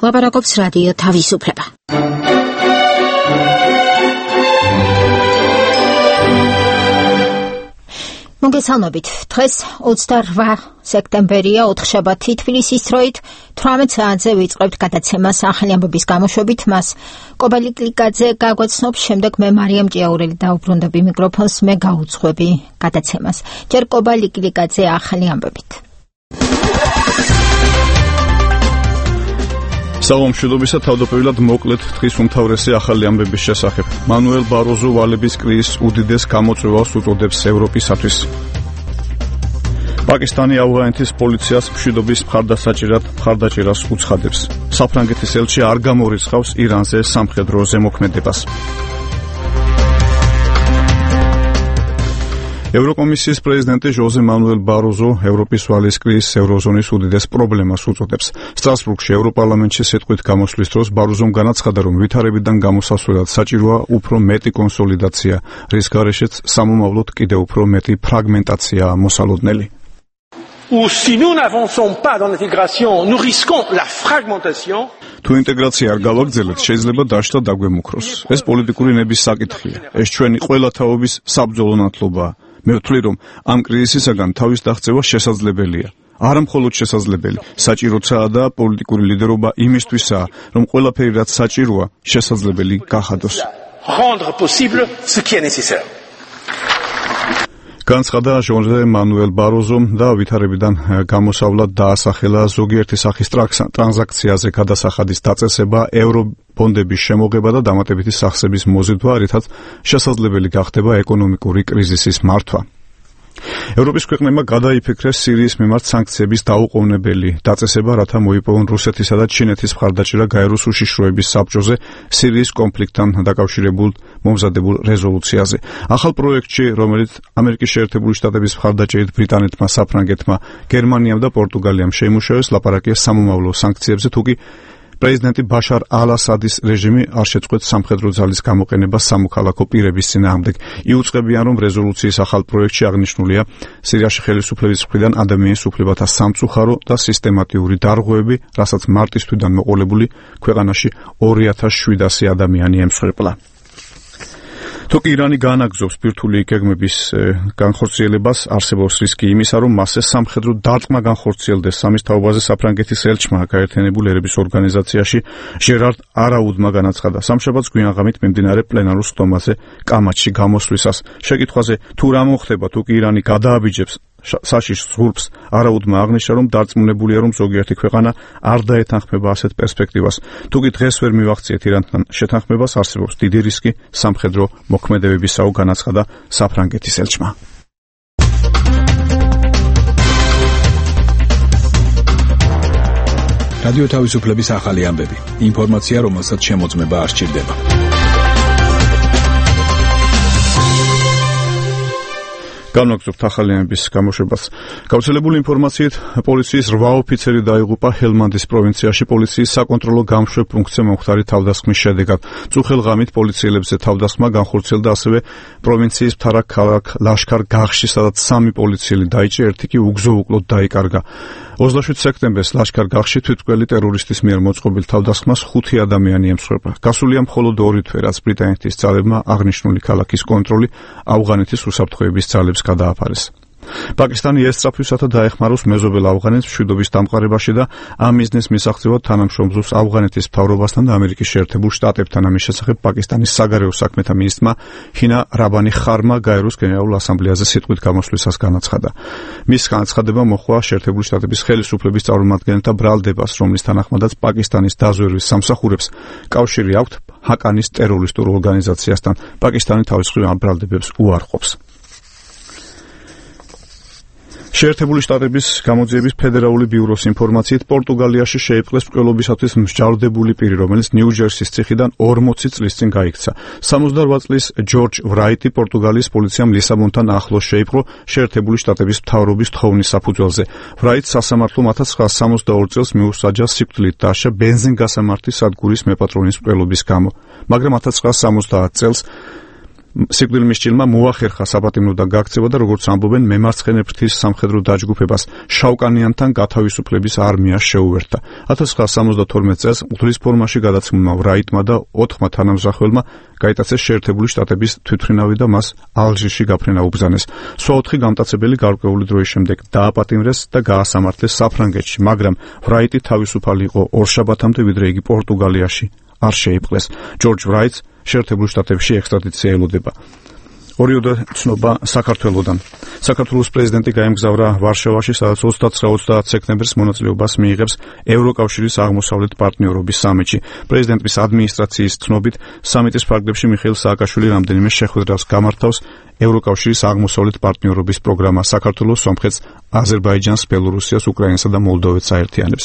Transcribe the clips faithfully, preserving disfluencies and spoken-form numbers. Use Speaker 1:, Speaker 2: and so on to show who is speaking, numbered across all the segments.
Speaker 1: ლაპარაკობს რადიო თავისუფლება. მოგესალმებით. დღეს ოცდაორ სექტემბერია, ოთხშაბათი, თბილისის დროით თვრამეტ საათზე ვიწყებთ გადაცემას ახალი ამბების გამოშვებით. მას კობალი კლიკაძე გაგვაცნობს, შემდეგ მე მარიამ ჭიაურელი დაუბრუნდები მიკროფონს, მე გაუძღვები გადაცემას. ჯერ კობალი კლიკაძე ახალი ამბებით.
Speaker 2: საღამოშობისა თავდაპირველად მოკლედ დღის უმთავრესი ახალი ამბების შესახებ. მანუელ ბაროზო ვალების კრიზის უდიდეს გამოწვევას უწოდებს ევროპისათვის. პაკისტანი ავღანეთის პოლიციას მშვიდობის მხარდასაჭერად მხარდაჭერას უცხადებს. საფრანგეთის ელჩი არ გამორიცხავს ირანზე სამხედრო ზემოქმედებას. ევროკომისიის პრეზიდენტი ჟოზე მანუელ ბაროზო ევროპის ვალის კრიზის ევროზონის უდიდეს პრობლემას უწოდებს. სტრასბურგში ევროპარლამენტში სიტყვით გამოსვლის დროს ბაროზომ განაცხადა, რომ ვითარებიდან გამოსასვლელად საჭიროა უფრო მეტი კონსოლიდაცია, რის გარეშეც სამომავლოდ კიდევ უფრო მეტი ფრაგმენტაციაა მოსალოდნელი.
Speaker 3: Ou si nous n'avançons pas dans l'intégration, nous risquons la fragmentation.
Speaker 2: თუ ინტეგრაცია არ გავაგრძელებთ, შეიძლება დაშლა დაგვემუქროს. ეს პოლიტიკური ნების საკითხია. ეს ჩვენი ყველა თაობის საბრძოლო ნათლობაა. მე ვთვლი, რომ ამ კრიზისისაგან თავის დაღწევა შესაძლებელია. არა მხოლოდ შესაძლებელი, საჭიროა და პოლიტიკური ლიდერობა იმისთვისაა, რომ ყველაფერი რაც საჭიროა, შესაძლებელი გახადოს.
Speaker 3: Rendre possible ce qui est nécessaire.
Speaker 2: განცხადა ჟოზე მანუელ ბაროზომ და ვითარებიდან გამოსავლად დაასახელა ზოგიერთი სახის ტრანზაქციაზე გადასახადის დაწესება, ევრობონდების შემოღება და დამატებითი სახსების მოზიდვა, რითაც შესაძლებელი გახდება ეკონომიკური კრიზისის მართვა. ევროპის ქვეყნებმა გადაიფიქრეს სირიის მიმართ სანქციების დაუყოვნებელი დაწესება, რათა მოიპოვონ რუსეთისა და ჩინეთის მხარდაჭერა გაეროს უშიშროების საბჭოზე სირიის კონფლიქტთან დაკავშირებულ მომზადებულ რეზოლუციაზე. ახალ პროექტში, რომელიც ამერიკის შეერთებული შტატების მხარდაჭერით ბრიტანეთმა, საფრანგეთმა, გერმანიამ და პორტუგალიამ შეიმუშავეს, ლაპარაკია სამომავლო სანქციებზე, თუკი პრეზიდენტი ბაშარ ალ-ასადის რეჟიმი არ შეწყვეტს სამხედრო ძალის გამოყენებას სამოქალაქო პირების წინააღმდეგ. იუწყებიან, რომ რეზოლუციის ახალ პროექტში აღნიშნულია სირიაში ხელისუფლების მხრიდან ადამიანის უფლებათა სამწუხარო და სისტემატიური დარღვევები, რასაც მარტის თვიდან მოყოლებული ქვეყანაში ორი ათას შვიდასი ადამიანი ემსხვერპლა. თუკი ირანი განაგზობს ბირთვული გეგმების განხორციელებას, არსებობს რისკი იმისა, რომ მასზე სამხედრო დარტყმა განხორციელდეს. სამის თაობაზე საფრანგეთის ელჩმა გაერთიანებული ერების ორგანიზაციაში ჟერარ არაუდმა განაცხადა სამშაბათს გვიანღამით მიმდინარე პლენარულ სტომაზე კამათში გამოსვლისას. შეკითხვაზე თუ რა მოხდება, თუკი ირანი გადააბიჯებს საშიშ ზღურბს, არაუდმა აღნიშნა, რომ დარწმუნებულია, რომ ზოგიერთი ქვეყანა არ დაეთანხმება ასეთ პერსპექტივას. თუკი დღეს ვერ მივახციეთ ირანთან შეთანხმებას, არსებობს დიდი რისკი სამხედრო მოქმედებებისაო, განაცხადა საფრანგეთის ელჩმა.
Speaker 4: რადიო თავისუფლების ახალი ამბები. ინფორმაცია, რომელსაც შემოწმება არ სჭირდება.
Speaker 2: განვაგრძობთ ახალი ამბების გამოშვებას. გავრცელებული ინფორმაციით, პოლიციის რვა ოფიცერი დაიღუპა ჰელმანდის პროვინციაში პოლიციის საკონტროლო გამშვებ პუნქტზე მომხდარი თავდასხმის შედეგად. წუხელ ღამით პოლიციელებზე თავდასხმა განხორციელდა ასევე პროვინციის მთავარ ქალაქ ლაშქარ-გაღში, სადაც სამი პოლიციელი დაიჭრა, ერთი კი უგზო-უკლოდ დაიკარგა. ოცდაშვიდ სექტემბერს ლაშქარ-გაღში თვითმკვლელი ტერორისტის მიერ მოწყობილ თავდასხმას ხუთი ადამიანი ემსხვერპლა. გასულია მხოლოდ ორი თვე, რაც ბრიტანეთის ძალებმა აღნიშნული ქალაქის კონტროლი ავღანეთის უსაფრთხოების ძალებს გადააფარეს. პაკისტანი ესწრაფვისათა დაეხმაროს მეზობელ ავღანეთს მშვიდობის დამყარებაში და ამ მიზნის მისაღწევად თანამშრომლობს ავღანეთის მთავრობასთან და ამერიკის შეერთებულ შტატებთან. ამის შესახებ პაკისტანის საგარეო საქმეთა მინისტრმა ჰინა რაბანი ხარმა გაეროს გენერალურ ასამბლეაზე სიტყვით გამოსვლისას განაცხადა. მის განაცხადება მოჰყვა შეერთებული შტატების ხელისუფლების წარმომადგენელთა ბრალდებას, რომლის თანახმადაც პაკისტანის დაზვერვის სამსახურებს კავშირი აქვთ ჰაკანის ტერორისტულ ორგანიზაციასთან. პაკისტანი თავის მხრივ ამ ბრალდებებს უარყოფს. შეერთებული შტატების გამოძიების ფედერალური ბიუროს ინფორმაციით, პორტუგალიაში შეიპყრეს მკვლელობისათვის მსჯავრდებული პირი, რომელიც ნიუ-ჯერსის ციხიდან ორმოცი წლის წინ გაიქცა. სამოცდაორ წლის ჯორჯ ვრაიტი პორტუგალიის პოლიციამ ლისაბონთან ახლოს შეიპყრო შეერთებული შტატების მთავრობის თხოვნის საფუძველზე. ვრაიტს სასამართლომ ათას ცხრაასა სამოცდაორი წელს მიუსაჯა სიკვდილით დასჯა ბენზინგასამართის სადგურის მეპატრონის მკვლელობის გამო, მაგრამ ათას ცხრაასა სამოცდაათი წელს სიკვდილმისჭილმა მოახერხა საპატიმროდან გაქცევა და როგორც ამბობენ, მემარცხენე ფრთის სამხედრო დაჯგუფებას შავკანიანთან გათავისუფლების არმიას შეუერთდა. ათას ცხრაასა სამოცდათორმეტ წელს მღვდლის ფორმაში გადაცმულმა ვრაიტმა და ოთხმა თანამზრახველმა გაიტაცეს შეერთებული შტატების თვითმფრინავი და მას ალჟირში გაფრენა უბრძანეს. სხვა ოთხი გამტაცებელი გარკვეული დროის შემდეგ დააპატიმრეს და გაასამართლეს საფრანგეთში, მაგრამ ვრაიტი თავისუფალი იყო ორშაბათამდე, ვიდრე იგი პორტუგალიაში არ შეიპყრეს. ჯორჯ ვრაიტს შეერთებულ შტატებში ექსტრადიცია ელოდება. ორიოდე ცნობა საქართველოდან. საქართველოს პრეზიდენტი გაემგზავრა ვარშავაში, სადაც ოცდაცხრა ოცდაათ სექტემბერს მონაწილეობას მიიღებს ევროკავშირის აღმოსავლეთ პარტნიორობის სამიტში. პრეზიდენტის ადმინისტრაციის ცნობით, სამიტის ფარგლებში მიხეილ სააკაშვილი რამდენიმე შეხვედრას გამართავს. ევროკავშირის აღმოსავლეთ პარტნიორობის პროგრამა საქართველოს, სომხეთს, აზერბაიჯანს, ბელორუსიას, უკრაინასა და მოლდოვეთს აერთიანებს.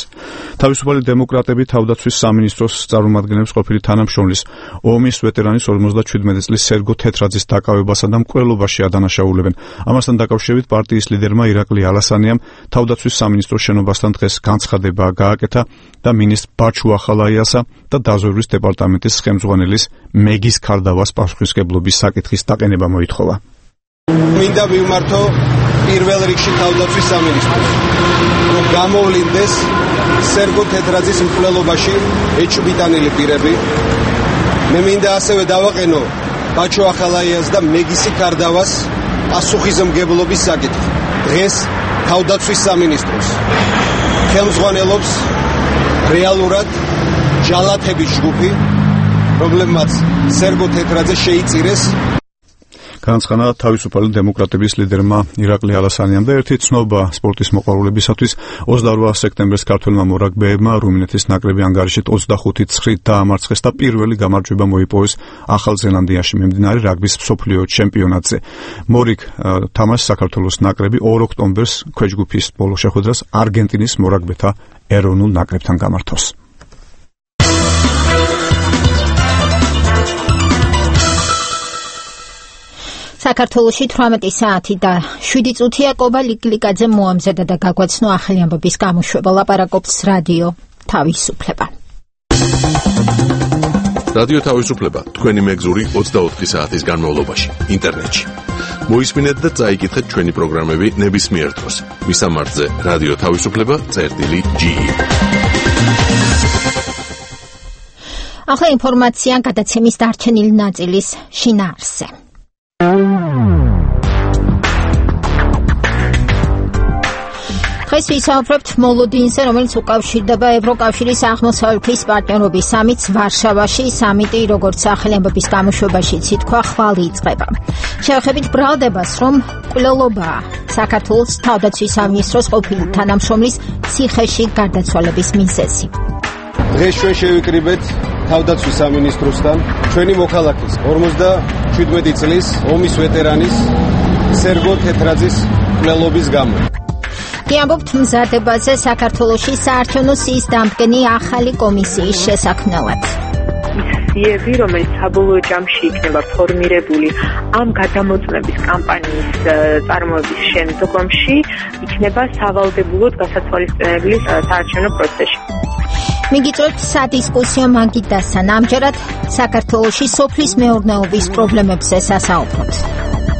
Speaker 2: თავისუფალი დემოკრატები თავდაცვის სამინისტროს წარმომადგენლებს ყოფილი თანამშრომლის ომის ვეტერანის ორმოცდაჩვიდმეტი წლის სერგო თეთრაძის დაკავებასა და მკვლელობაში ადანაშაულებენ. ამასთან დაკავშირებით პარტიის ლიდერმა ირაკლი ალასანიამ თავდაცვის სამინისტროს შენობასთან დღეს განცხადება გააკეთა და მინისტრ ბაჩუ ახალაიასა და დაზვერვის დეპარტამენტის ხელმძღვანელის მეგის ქარდავას პასუხისმგებლობის საკითხის დაყენება მოითხოვა.
Speaker 5: მინდა ვიმართო პირველ რიგში თავდაცვის სამინისტროს, რომ გამოვლინდეს სერგო თეთრაძის მკვლელობაში ეჭვმიტანილი პირები. მე მინდა ასევე დავაყენო ბაჩუ ახალაიას და მეგისი ქარდავას პასუხისმგებლობის საკითხი. დღეს თავდაცვის სამინისტროს ხელმძღვანელობს რეალურად ჯალათების ჯგუფი, რომლებმაც სერგო თეთრაძე შეიწირეს.
Speaker 2: განცხადა თავისუფალი დემოკრატების ლიდერმა ირაკლი ალასანიამ და ერთი ცნობა სპორტის მოყვარულებისათვის. ოცდაორ სექტემბერს ქართველმა მორაგბეებმა რუმინეთის ნაკრები ანგარიშით ოცდახუთი ცხრით დაამარცხეს და პირველი გამარჯვება მოიპოვეს ახალ ზელანდიაში მიმდინარე რაგბის მსოფლიო ჩემპიონატზე. მორიგ თამაშს საქართველოს ნაკრები ორ ოქტომბერს ქვეჯგუფის ბოლო შეხვედრას არგენტინის მორაგბეთა ეროვნულ ნაკრებთან გამართავს.
Speaker 1: საქართველოში თვრამეტი საათი და შვიდი წუთია კობა ლიკლიკაძე მოამზადა და გაგვაცნო ახალი ამბების გამოშვება. ლაპარაკობს რადიო თავისუფლება.
Speaker 6: რადიო თავისუფლება თქვენი მეგზური ოცდაოთხი საათის განმავლობაში ინტერნეტში. მოისმინეთ და წაიკითხეთ ჩვენი პროგრამები ნებისმიერ დროს. მისამართზე რადიო თავისუფლება წერტილი ჯი.
Speaker 1: ახლა ინფორმაცია გადაცემის დარჩენილი ნაწილის შინაარსზე. დღეს ვისაუბრებთ მოლოდინზე, რომელიც უკავშირდება ევროკავშირის აღმოსავლეთის პარტნიორობის სამიტს ვარშავაში. სამიტი, როგორც ახალი ამბების გამოშვებაში ითქვა, ხვალ იწყება. შევხედებით ბრალდებას, რომ მკვლელობაა საქართველოს თავდაცვის სამინისტროს ყოფილი თანამშრომლის ციხეში გარდაცვალების მიზეზი.
Speaker 5: დღეს ჩვენ შევიკრიბეთ თავდაცვის სამინისტროსთან ჩვენი მოქალაქის ორმოცდაჩვიდმეტი წლის ომის ვეტერანის სერგო თეთრაძის მკვლელობის გამო.
Speaker 1: კი ამბობთ მზადებაზე საქართველოში საარჩევნო სიის დამდგენი ახალი კომისიის შესაქმნელად.
Speaker 7: მისიები, რომელიც საბოლოო ჯამში იქნება ფორმირებული ამ გადამოწმების კამპანიის წარმოების შემდგომში, იქნება სავალდებულოდ გასათვალისწინებელი საარჩევნო პროცესში. მიგიწევთ სადისკუსიო მაგიდასთან. ამჯერად საქართველოში სოფლის მეურნეობის პრობლემებზე სასაუბრობთ.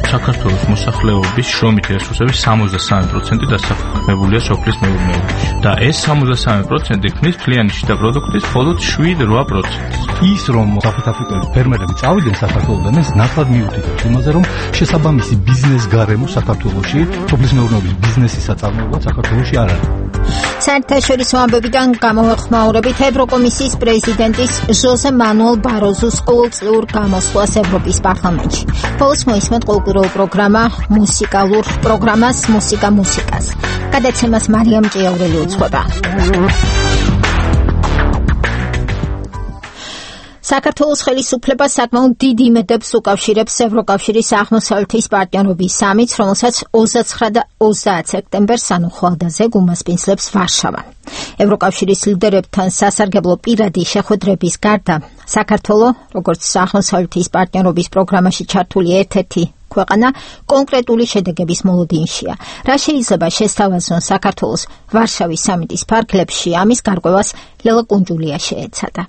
Speaker 8: საქართველოს მოსახლეობის შრომითი რესურსების სამოცდასამი პროცენტი დასაქმებულია სოფლის მეურნეობაში და ეს სამოცდასამი პროცენტი ქმნის მთლიანი შიდა პროდუქტის მხოლოდ შვიდ რვა პროცენტს.
Speaker 9: ის რომ საფრანგეთის ფერმერები წავიდნენ საქართველოდან, ეს ნათლად მიუთითებს იმაზე, რომ შესაბამისი ბიზნეს გარემო საქართველოში, სოფლის მეურნეობის ბიზნესის საწარმოებლად საქართველოში არ არის.
Speaker 1: საერთაშორისო ამბებიდან გამოვეხმაურებით ევროკომისიის პრეზიდენტის ჟოზე მანუელ ბაროზოს ყოველწლიურ გამოსვლას ევროპის პარლამენტში. ბოლოს მოისმენთ კულტურულ პროგრამა მუსიკალურ პროგრამას მუსიკა მუსიკას. გადაცემას მარიამ ჭიაურელი უძღვება. საქართველოს ხელისუფლება საკმაოდ დიდ იმედებს უკავშირებს ევროკავშირის აღმოსავლეთის პარტნიორობის სამიტს, რომელსაც ოცდაცხრა და ოცდაათ სექტემბერს, ანუ ხვალდაზე გუმასპინძლებს ვარშავა. ევროკავშირის ლიდერებთან სასარგებლო პირადი შეხვედრების გარდა, საქართველო, როგორც აღმოსავლეთის პარტნიორობის პროგრამაში ჩართული ერთ-ერთი ქვეყანა, კონკრეტული შედეგების მოლოდინშია. რა შეიძლება შესთავაზონ საქართველოს ვარშავის სამიტის ფარგლებში, ამის გარკვევას ლელა კუნჯულია შეეცადა.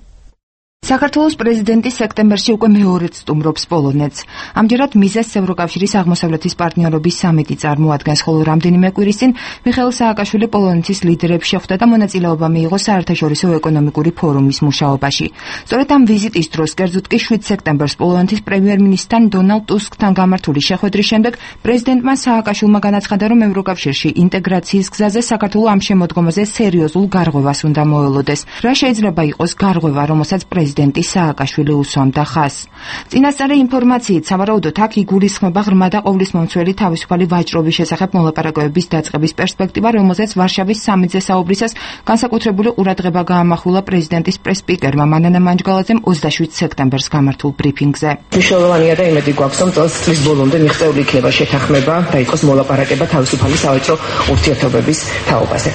Speaker 10: საქართველოს პრეზიდენტი სექტემბერში უკვე მეორედ სტუმრობს პოლონეთს. ამჯერად მიზეზს ევროკავშირის აღმოსავლეთის პარტნიორობის სამიტი წარმოადგენს, ხოლო რამდენიმე კვირის წინ მიხეილ სააკაშვილი პოლონეთის ლიდერებს შეხვდა და მონაწილეობა მიიღო საერთაშორისო ეკონომიკური ფორუმის მუშაობაში. სწორედ ამ ვიზიტის დროს, კერძოდ კი შვიდ სექტემბერს პოლონეთის პრემიერ-მინისტრთან დონალდ ტუსკთან გამართული შეხვედრის შემდეგ პრეზიდენტმა სააკაშვილმა განაცხადა, რომ ევროკავშირში ინტეგრაციის გზაზე საქართველო ამ შემოდგომაზე სერიოზულ გარღვევას უნდა მოელოდეს. რა შეიძლება იყოს გარღვევა, რომელსაც პრეზიდენტი სააკაშვილი უსვამდა ხაზს. წინასწარი ინფორმაციით, სავარაუდოდ აქ იგულისხმება ღრმა და ყოვლისმომცველი თავისუფალი ვაჭრობის შესახებ მოლაპარაკებების დაწყების პერსპექტივა, რომელზეც ვარშავის სამიტზე საუბრისას განსაკუთრებული ყურადღება გაამახვილა პრეზიდენტის პრეს-სპიკერმა მანანა მანჯგალაძემ ოცდაშვიდ სექტემბერს გამართულ ბრიფინგზე.
Speaker 11: მნიშვნელოვანია და იმედი გვაქვს, რომ წელს წლის ბოლომდე მიღწეული იქნება შეთანხმება და იყოს მოლაპარაკება თავისუფალი სავაჭრო ურთიერთობების თაობაზე.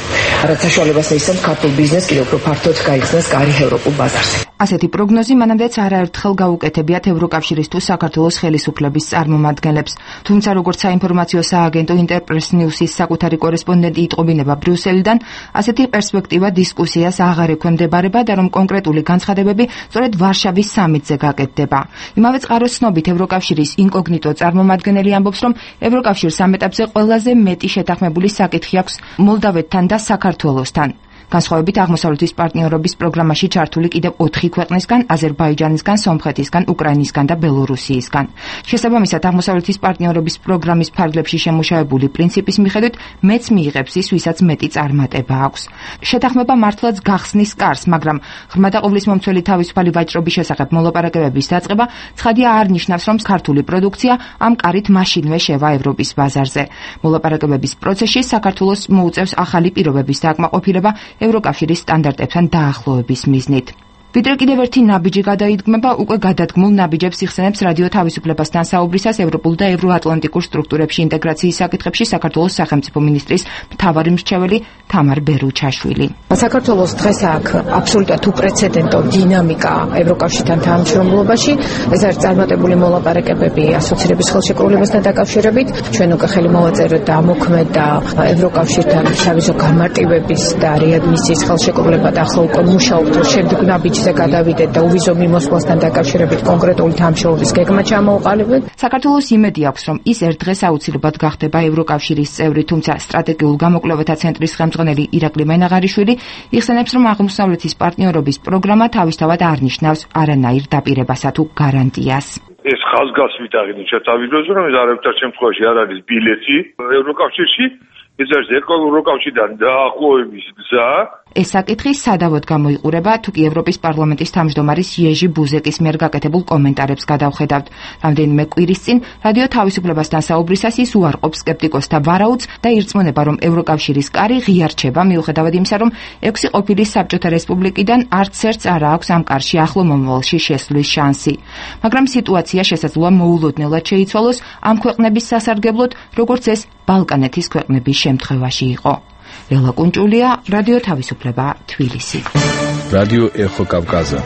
Speaker 11: რაც საშუალებას მისცემს ქართულ ბიზნესს კიდევ უფრო ფართოდ გაიხსნას კარი ევროპულ ბაზარზე.
Speaker 10: ასეთი პროგნოზი მანამდეც არაერთხელ გაუკეთებიათ ევროკავშირის თუ საქართველოს ხელისუფლების წარმომადგენლებს. თუმცა როგორც საინფორმაციო სააგენტო ინტერპრეს ნიუსის საკუთარი კორესპონდენტი იტყობინება ბრიუსელიდან, ასეთი პერსპექტივა დისკუსიას აღარ ექვემდებარება და რომ კონკრეტული განცხადებები სწორედ ვარშავის სამიტზე გაკეთდება. იმავე წყაროს ცნობით ევროკავშირის ინკოგნიტო წარმომადგენელი ამბობს, რომ ევროკავშირს ამ ეტაპზე ყველაზე მეტი შეთანხმებული საკითხი აქვს მოლდავეთთან და საქართველოსთან. განსხვავებით აღმოსავლეთის პარტნიორობის პროგრამაში ჩართული კიდევ ოთხი ქვეყნისგან, აზერბაიჯანისგან, სომხეთისგან, უკრაინისგან და ბელორუსიისგან. შესაბამისად, აღმოსავლეთის პარტნიორობის პროგრამის ფარგლებში შემუშავებული პრინციპის მიხედვით მეც მიიღებს ის, ვისაც მეტი წარმატება აქვს. შეთანხმება მართლაც გახსნის კარს, მაგრამ ღრმა და ყოვლისმომცველი თავისუფალი ვაჭრობის შესახებ მოლაპარაკებების დაწყება ცხადია არ ნიშნავს, რომ ქართული პროდუქცია ამ კარით მაშინვე შევა ევროპის ბაზარზე. მოლაპარაკებების პროცესში საქართველოს მოუწევს ახალი პირობების დააკმაყოფილება ევროკავშირის სტანდარტებთან დაახლოების მიზნით. ვიდრე კიდევ ერთი ნაბიჯი გადაიდგმება, უკვე გადადგმულ ნაბიჯებს იხსენებს რადიო თავისუფლებასთან საუბრისას ევროპულ და ევროატლანტიკურ სტრუქტურებში ინტეგრაციის საკითხებში საქართველოს სახელმწიფო მინისტრის მთავარი მრჩეველი თამარ ბერუჩაშვილი.
Speaker 12: საქართველოს დღეს აქვს აბსოლუტურად უპრეცედენტო დინამიკა ევროკავშირთან თანამშრომლობაში. ეს არის წარმატებული მოლაპარაკებები ასოცირების ხელშეკრულებასთან დაკავშირებით. ჩვენ უკვე ხელი მოვაწეროთ და ამოქმედ და ევროკავშირთან სავიზო გამარტივების და რეადმისიის ხელშეკრულება და ახლა უკვე მუშაობთ შემდეგ ნაბიჯ გადავიდეთ და უვიზო მიმოსვლასთან დაკავშირებით კონკრეტული თანამშრომლობის გეგმა ჩამოუყალიბეთ.
Speaker 10: საქართველოს იმედი აქვს, რომ ის ერთ დღეს აუცილებლად გახდება ევროკავშირის წევრი, თუმცა სტრატეგიულ გამოკვლევათა ცენტრის ხელმძღვანელი ირაკლი მენაღარიშვილი იხსენებს, რომ აღმოსავლეთის პარტნიორობის პროგრამა თავისთავად არ ნიშნავს არანაირ დაპირებასა თუ გარანტიას.
Speaker 13: ეს ხაზგასმით აღინიშნა თავიდანვე, რომ ეს არაერთარ შემთხვევაში არ არის ბილეთი ევროკავშირში, ეს არის ევროკავშირიდან დაახლოების გზა.
Speaker 10: ეს საკითხი სადავოდ გამოიყურება, თუ კი ევროპის პარლამენტის თავმჯდომარის იეჟი ბუზეკის მიერ გაკეთებულ კომენტარებს გადავხედავთ. რამდენიმე კვირის წინ რადიო თავისუფლებასთან საუბრისას ის უარყოფს სკეპტიკოსთა ვარაუდს და ირწმუნება, რომ ევროკავშირის კარი ღია რჩება, მიუხედავად იმისა, რომ ექვსი ყოფილი საბჭოთა რესპუბლიკიდან არც ერთს არ აქვს ამ კარში ახლო მომავალში შესვლის შანსი. მაგრამ სიტუაცია შესაძლოა მოულოდნელად შეიცვალოს ამ ქვეყნების სასარგებლოდ, როგორც ეს ბალკანეთის ქვეყნების შემთხვევაში იყო. ელა კუნჭულია, რადიო თავისუფლება, თბილისი.
Speaker 4: რადიო ეხო კავკაზა.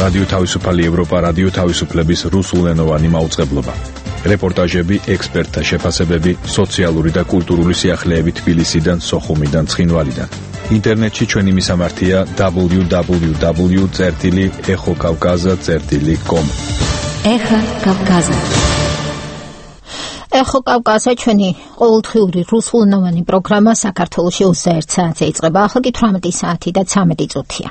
Speaker 4: რადიო თავისუფალი ევროპა, რადიო თავისუფლების რუსულენოვანი მაუწყებლობა. რეპორტაჟები, ექსპერტთა შეფასებები, სოციალური და კულტურული სიახლეები თბილისიდან, სოხუმიდან, ცხინვალიდან. ინტერნეტში ჩვენი მისამართია დაბლიუ დაბლიუ დაბლიუ წერტილი ეხო კავკაზა წერტილი კომ.
Speaker 1: ეხო კავკაზა. ეხო კავკაზა ჩვენი ყოველდღიური რუსულენოვანი პროგრამა საქართველოში ოცდაერთ საათზე იწყება. ახლა კი თვრამეტი საათი და ცამეტი წუთია.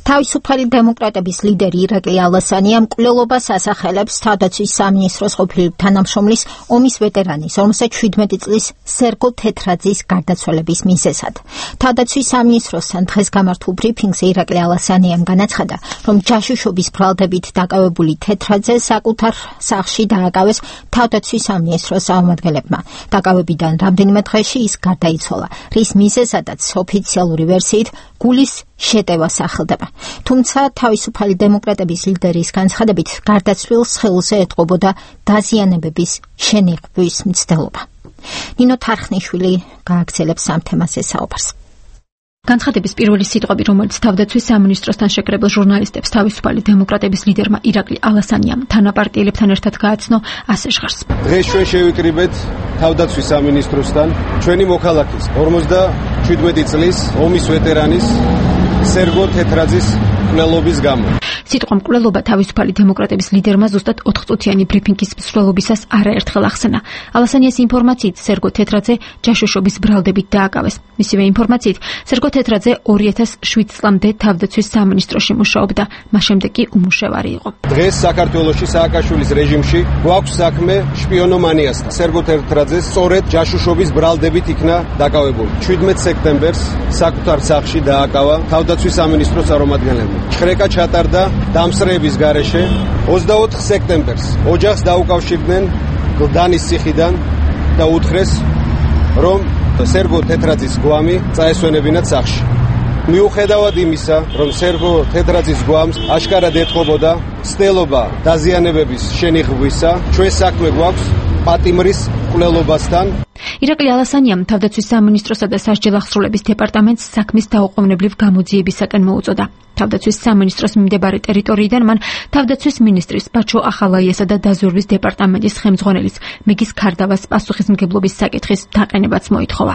Speaker 1: თავისუფალი დემოკრატების ლიდერი ირაკლი ალასანია მკვლელობას ასახელებს თავდაცვის სამინისტროს ყოფილი თანამშრომლის ომის ვეტერანის ორმოცდაშვიდი წლის სერგო თეთრაძის გარდაცვალების მიზეზად. თავდაცვის სამინისტროსთან დღეს გამართულ ბრიფინგზე ირაკლი ალასანიამ განაცხადა, რომ ჯაშუშობის ბრალდებით დაკავებული თეთრაძე საკუთარ სახლში დააკავეს თავდაცვის სამინისტროს წარმომადგენლებმა. დაკავებიდან რამდენიმე დღეში ის გარდაიცვალა, რის მიზეზადაც ოფიციალური ვერსიით გულის შეტევა სახელდება. თუმცა თავისუფალი დემოკრატების ლიდერის განცხადებით გარდაცვლილს ხელზე ეთყობოდა დაზიანებების შენიღბვის მცდელობა. ნინო თარხნიშვილი გააგრძელებს ამ თემაზე საუბარს.
Speaker 14: განცხადების პირველი სიტყვები, რომელიც თავდაცვის სამინისტროსთან შეკრებილ ჟურნალისტებს თავისუფალი დემოკრატების ლიდერმა ირაკლი ალასანიამ თანაპარტიელებთან ერთად გააცნო, ასე ჟღერს.
Speaker 5: დღეს ჩვენ შევიკრიბეთ თავდაცვის სამინისტროსთან ჩვენი მოქალაქის ორმოცდაშვიდი წლის ომის ვეტერანის სერგო თეთრაძის მკვლელობის გამო.
Speaker 14: სიტყვა მკვლელობა თავისუფალი დემოკრატების ლიდერმა ზუსტად ოთხწუთიანი ბრიფინგის მსვლელობისას არაერთხელ ახსენა. ალასანიას ინფორმაციით სერგო თეთრაძე ჯაშუშობის ბრალდებით დააკავეს. მისივე ინფორმაციით სერგო თეთრაძე ორი ათას შვიდ წლამდე თავდაცვის სამინისტროში მუშაობდა, მას შემდეგ კი უმუშევარი იყო.
Speaker 5: დღეს საქართველოში სააკაშვილის რეჟიმში გვაქვს საქმე შპიონომანიასთან. სერგო თეთრაძე სწორედ ჯაშუშობის ბრალდებით იქნა დაკავებული. შვიდმეტ სექტემბერს საკუთარ სახლში დააკავა თავდაცვის სამინისტრო წარმომადგენლებმა. ჩხრეკა ჩატარდა დამსწრეების გარეშე. ოცდაოთხ სექტემბერს ოჯახს დაუკავშირდნენ გლდანის ციხიდან და უთხრეს, რომ სერგო თეთრაძის გვამი წაესვენებინათ სახლში. მიუხედავად იმისა, რომ სერგო თეთრაძის გვამს აშკარად ეთყობოდა ცდელობა დაზიანებების შენიღბვისა, ჩვენ საქმე გვაქვს პატიმრის მკვლელობასთან.
Speaker 14: ირაკლი ალასანიამ თავდაცვის სამინისტროსა და სასჯელ აღსრულების დეპარტამენტს საქმის დაუყოვნებლივ გამოძიებისაკენ მოუწოდა. თავდაცვის სამინისტროს მიმდებარე ტერიტორიიდან მან თავდაცვის მინისტრის ბაჩო ახალაიასა და დაზვერვის დეპარტამენტის ხელმძღვანელის მეგის ქარდავას პასუხისმგებლობის საკითხის დაყენებაც მოითხოვა.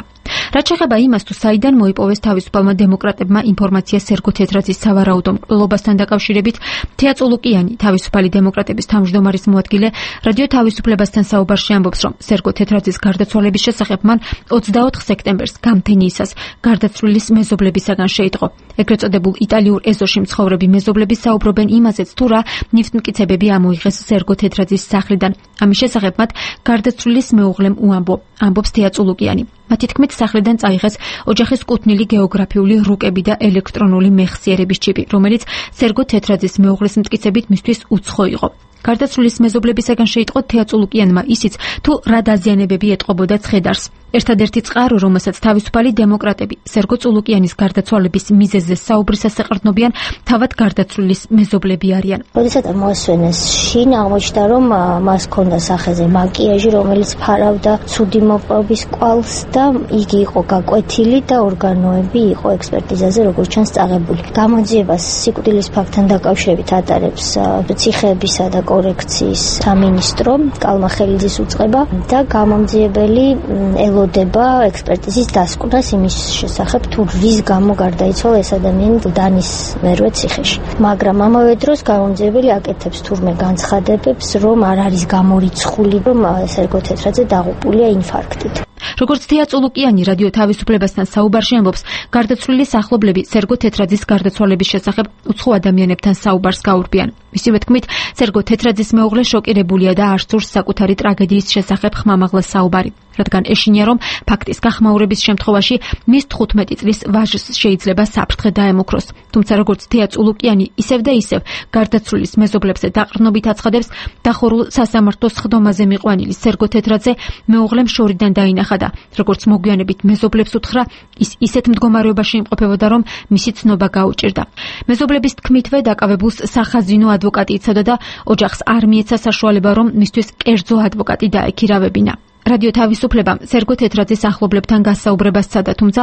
Speaker 14: რაც შეეხება იმას, თუ საიდან მოიპოვეს თავისუფალმა დემოკრატებმა ინფორმაცია სერგო თეთრაძის სავარაუდო მკვლელობასთან დაკავშირებით, თეა წულუკიანი, თავისუფალი დემოკრატების თავმჯდომარის მოადგილე, რადიო თავისუფლებასთან საუბარში ამბობს, რომ სერგო თეთრაძის გარდაცვალების შესახებ მან ოცდაოთხ სექტემბერს გამთენიისას გარდაცვლილის მეზობლებისაგან შეიტყო. ეგრეთ წოდებულ იტალიურ ეზოში მცხოვრები მეზობლები საუბრობენ იმაზეც, თუ რა ნიფტმტკიცებები ამოიღეს სერგო თეთრაძის სახლიდან. ამის შესახებ მათ გარდაცვლილის მეუღლემ უამბო, ამბობს თეა წულუკიანი. მათი თქმით, სახლიდან წაიღეს ოჯახის კუთვნილი გეოგრაფიული რუკები და ელექტრონული მეხსიერების ჩიპი, რომელიც სერგო თეთრაძის მეუღლის მტკიცებით მისთვის უცხო იყო. გარდაცვლილის მეზობლებისაგან შეიტყო თეა წულუკიანმა ისიც, თუ რა დაზიანებები ეტყობოდა ცხედარს. ერთადერთი წყარო, რომელსაც თავისუფალი დემოკრატები სერგო წულუკიანის გარდაცვალების მიზეზზე საუბრისას ეყრდნობიან, თავად გარდაცვლილის მეზობლები არიან.
Speaker 15: როდესაც მოასვენეს შინ, აღმოჩნდა, რომ მას ჰქონდა სახეზე მაკიაჟი, რომელიც ფარავდა ცუდი მოპყრობის კვალს და იგი იყო გაკვეთილი და ორგანოები იყო ექსპერტიზაზე, როგორც ჩანს, წაღებული. გამოძიებას სიკვდილის ფაქტთან დაკავშირებით ატარებს ციხეებისა და კორექციის სამინისტრო კალმახელიძის უწყება და გამომძიებელი ელოდება ექსპერტიზის დასკვნას იმის შესახებ, თუ რის გამო გარდაიცვალა ეს ადამიანი გლდანის მერვე ციხეში. მაგრამ ამავე დროს გამომძიებელი აკეთებს თურმე განცხადებებს, რომ არ არის გამორიცხული, რომ სერგო თეთრაძე დაღუპულია ინფარქტით.
Speaker 14: როგორც თეა წულუკიანი რადიო თავისუფლებასთან საუბარში ამბობს, გარდაცვლილი ახლობლები სერგო თეთრაძის გარდაცვალების შესახებ უცხო ადამიანებთან საუბარს გაურბიან. მისივე თქმით, სერგო თეთრაძის მეუღლე შოკირებულია და არ სურს საკუთარი ტრაგედიის შესახებ ხმამაღლა საუბარი, რადგან ეშინია, რომ ფაქტის გახმაურების შემთხვევაში მის თხუთმეტი წლის ვაჟს შეიძლება საფრთხე დაემუქროს. თუმცა როგორც თეა წულუკიანი ისევ და ისევ გარდაცვლილის მეზობლებზე დაყრდნობით აცხადებს, დახურულ სასამართლოს ხდომაზე მიყვანილი სერგო თეთრაძე მეუღლემ შორიდან დაინახა და როგორც მოგვიანებით მეზობლებს უთხრა, ის ისეთ მდგომარეობაში იმყოფებოდა, რომ მისი ცნობა გაუჭირდა. მეზობლების თქმითვე დაკავებულს სახაზინო ადვოკატი იცოდა და ოჯახს არ მიეცა საშუალება, რომ მისთვის კერძო ადვოკატი დაექირავებინა. რადიო თავისუფლებამ სერგო თეთრაძის ახლობლებთან გასაუბრებას სცადა, თუმცა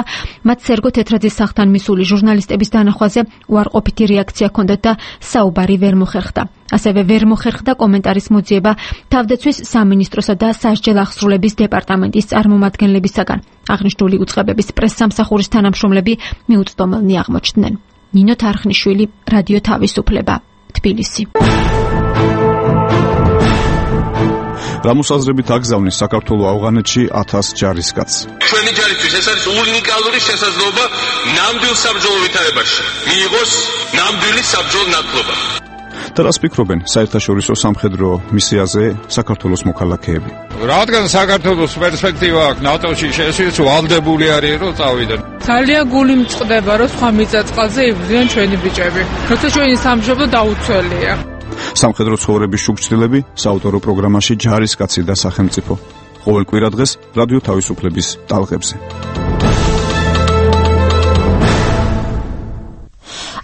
Speaker 14: მათ სერგო თეთრაძის სახლთან მისული ჟურნალისტების დანახვაზე უარყოფითი რეაქცია ჰქონდათ და საუბარი ვერ მოხერხდა. ასევე ვერ მოხერხდა კომენტარის მოძიება თავდაცვის სამინისტროსა და სასჯელ აღსრულების დეპარტამენტის წარმომადგენლებისაგან. აღნიშნული უწყებების პრესსამსახურის თანამშრომლები მიუწვდომელნი აღმოჩნდნენ. ნინო თარხნიშვილი, რადიო თავისუფლება, თბილისი.
Speaker 2: რამოსაზრებით აგზავნის საქართველოს ავღანეთში ათას ჯარისკაცს.
Speaker 16: ჩვენი ჯარისთვის ეს არის უნიკალური შესაძლებლობა ნამდვილ საბრძოლო ვითარებაში მიიღოს ნამდვილი საბრძოლო ნაკლობა.
Speaker 2: და რას ფიქრობენ საერთაშორისო სამხედრო მისიაზე საქართველოს მოქალაქეები?
Speaker 17: რადგან საქართველოს პერსპექტივა აქვს ნატოში შესვლის, ვალდებული არის რომ წავიდნენ.
Speaker 18: ძალიან გული მწყდება რომ სხვა მიწა-წყალზე იბრძვიან ჩვენი ბიჭები. როცა ჩვენი სამშობლო დაუცველია.
Speaker 2: სამხედრო ცხოვრების შუქჩდილები საავტორო პროგრამაში ჯარისკაცი და სახელმწიფო. ყოველ კვირადღეს რადიო თავისუფლების ტალღებზე.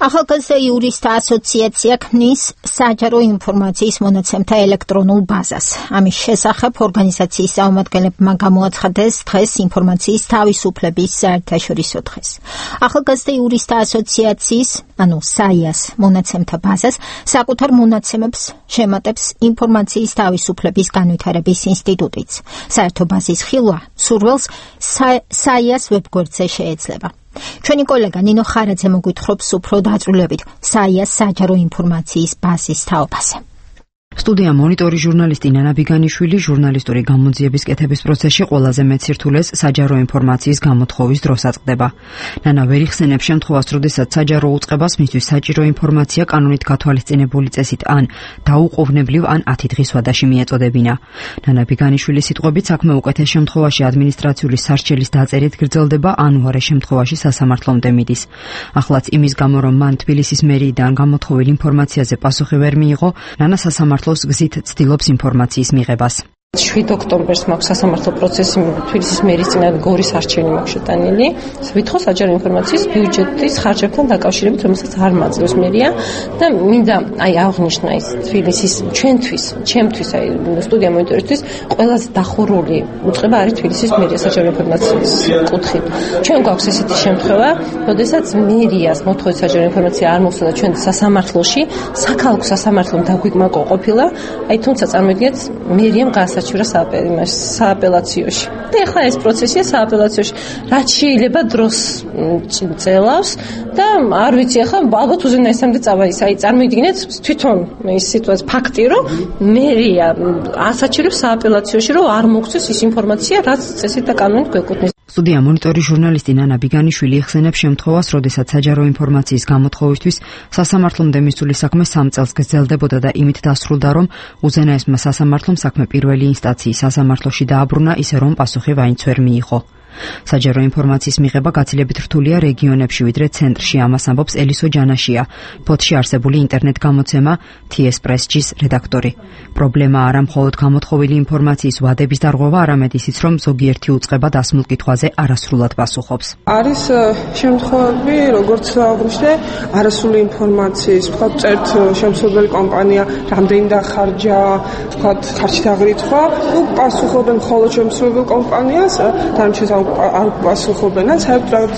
Speaker 1: ახალგაზრდა იურისტთა ასოციაცია ქმნის საჯარო ინფორმაციის მონაცემთა ელექტრონულ ბაზას. ამის შესახებ ორგანიზაციის წარმომადგენლებმა გამოაცხადეს დღეს ინფორმაციის თავისუფლების საერთაშორისო დღეს. ახალგაზრდა იურისტთა ასოციაციის, ანუ საიას მონაცემთა ბაზას საკუთარ მონაცემებს შემატებს ინფორმაციის თავისუფლების განვითარების ინსტიტუტიც. საერთო ბაზის ხილვა სურველს საიას ვებგვერდზე შეეძლება. ჩვენი კოლეგა ნინო ხარაძე მოგვითხრობს უფრო დაწვრილებით საიას საჯარო ინფორმაციის ბაზის თაობაზე.
Speaker 19: სტუდია მონიტორი ჟურნალისტი ნანა ბიგანიშვილი ჟურნალისტური გამოძიების კეთების პროცესში ყველაზე მეტ სირთულეს საჯარო ინფორმაციის გამოთხოვის დროს აწყდება. ნანა ვერ იხსენებს შემთხვევას, როდესაც საჯარო უწყებას მისთვის საჭირო ინფორმაცია კანონით გათვალისწინებული წესით ან დაუყოვნებლივ ან ათი დღის ვადაში მიეწოდებინა. ნანა ბიგანიშვილის სიტყვებით, საქმე უკეთეს შემთხვევაში ადმინისტრაციული სარჩელის დაწერით გრძელდება, ან უარეს შემთხვევაში სასამართლომდე მიდის. ახლაც იმის გამო, რომ მან თბილისის მერიიდან გამოთხოვილ ინფორმაციაზე პასუხი ვერ მიიღო, ნანა სასამართლოს გზით ცდილობს ინფორმაციის მიღებას.
Speaker 20: შვიდ ოქტომბერს მაქვს სასამართლო პროცესი თბილისის მერის წინააღმდეგ გორის არჩევანი მაქვს შეტანილი. ვითხოვ საჯარო ინფორმაციის ბიუჯეტის ხარჯებთან დაკავშირებით, რომელსაც არ მაძლევს მერია და მინდა აი აღნიშნა ის თბილისის ჩვენთვის, ჩემთვის აი სტუდია მონიტორისთვის ყველაზე დახურული უწყება არის თბილისის მერია საჯარო ინფორმაციის კუთხით. ჩვენ გვაქვს ესეთი შემთხვევა, როდესაც მერიას მოთხოვით საჯარო ინფორმაცია არ მოხდა ჩვენ სასამართლოში, საქალაქო სასამართლომ დაგვიკმაყო ყოფილა, აი თუმცა წარმოგიდგენთ მერიამ გასაჩივრა სააპელაციოში. და ახლა ეს პროცესია სააპელაციაში, რაც შეიძლება დროს წელავს და არ ვიცი ახლა ალბათ უზენაესამდე წავა ის. აი წარმოგიდგენთ თვითონ ის სიტუაცია ფაქტი, რომ მერია ასაჩივრებს სააპელაციაში, რომ არ მოგვცეს ის ინფორმაცია, რაც წესით და კანონით გვეკუთვნის.
Speaker 19: სტუდია მონიტორი ჟურნალისტი ნანა ბიგანიშვილი იხსენებს შემთხვევას, როდესაც საჯარო ინფორმაციის გამოთხოვისთვის სასამართლომდე მისული საქმე სამ წელს გრძელდებოდა და იმით დასრულდა, რომ უზენაესმა სასამართლომ საქმე პირველი ინსტანციის სასამართლოში დააბრუნა, ისე რომ პასუხი ვაინც ვერ მიიღო. საჯარო ინფორმაციის მიღება გაცილებით რთულია რეგიონებში, ვიდრე ცენტრში, ამას ამბობს ელისო ჯანაშია, ფოთში არსებული ინტერნეტ გამოცემა თი ეს პრესჯის რედაქტორი. პრობლემა არა მხოლოდ გამოთხოვილი ინფორმაციის ვადების დარღვევა, არამედ ისიც, რომ ზოგიერთი უწყება დასმულ კითხვაზე არასრულად პასუხობს.
Speaker 21: არის შემთხვევები, როგორც აღვნიშნე, არასრული ინფორმაციის, ვთქვათ, წერთ შემსრულებელი კომპანია, რამდენი დახარჯა, ვთქვათ, ხარჯი დაღრითხვა, ну პასუხობენ მხოლოდ შემსრულებელ კომპანიას, დანარჩენს არ პასუხობენ, საერთოდ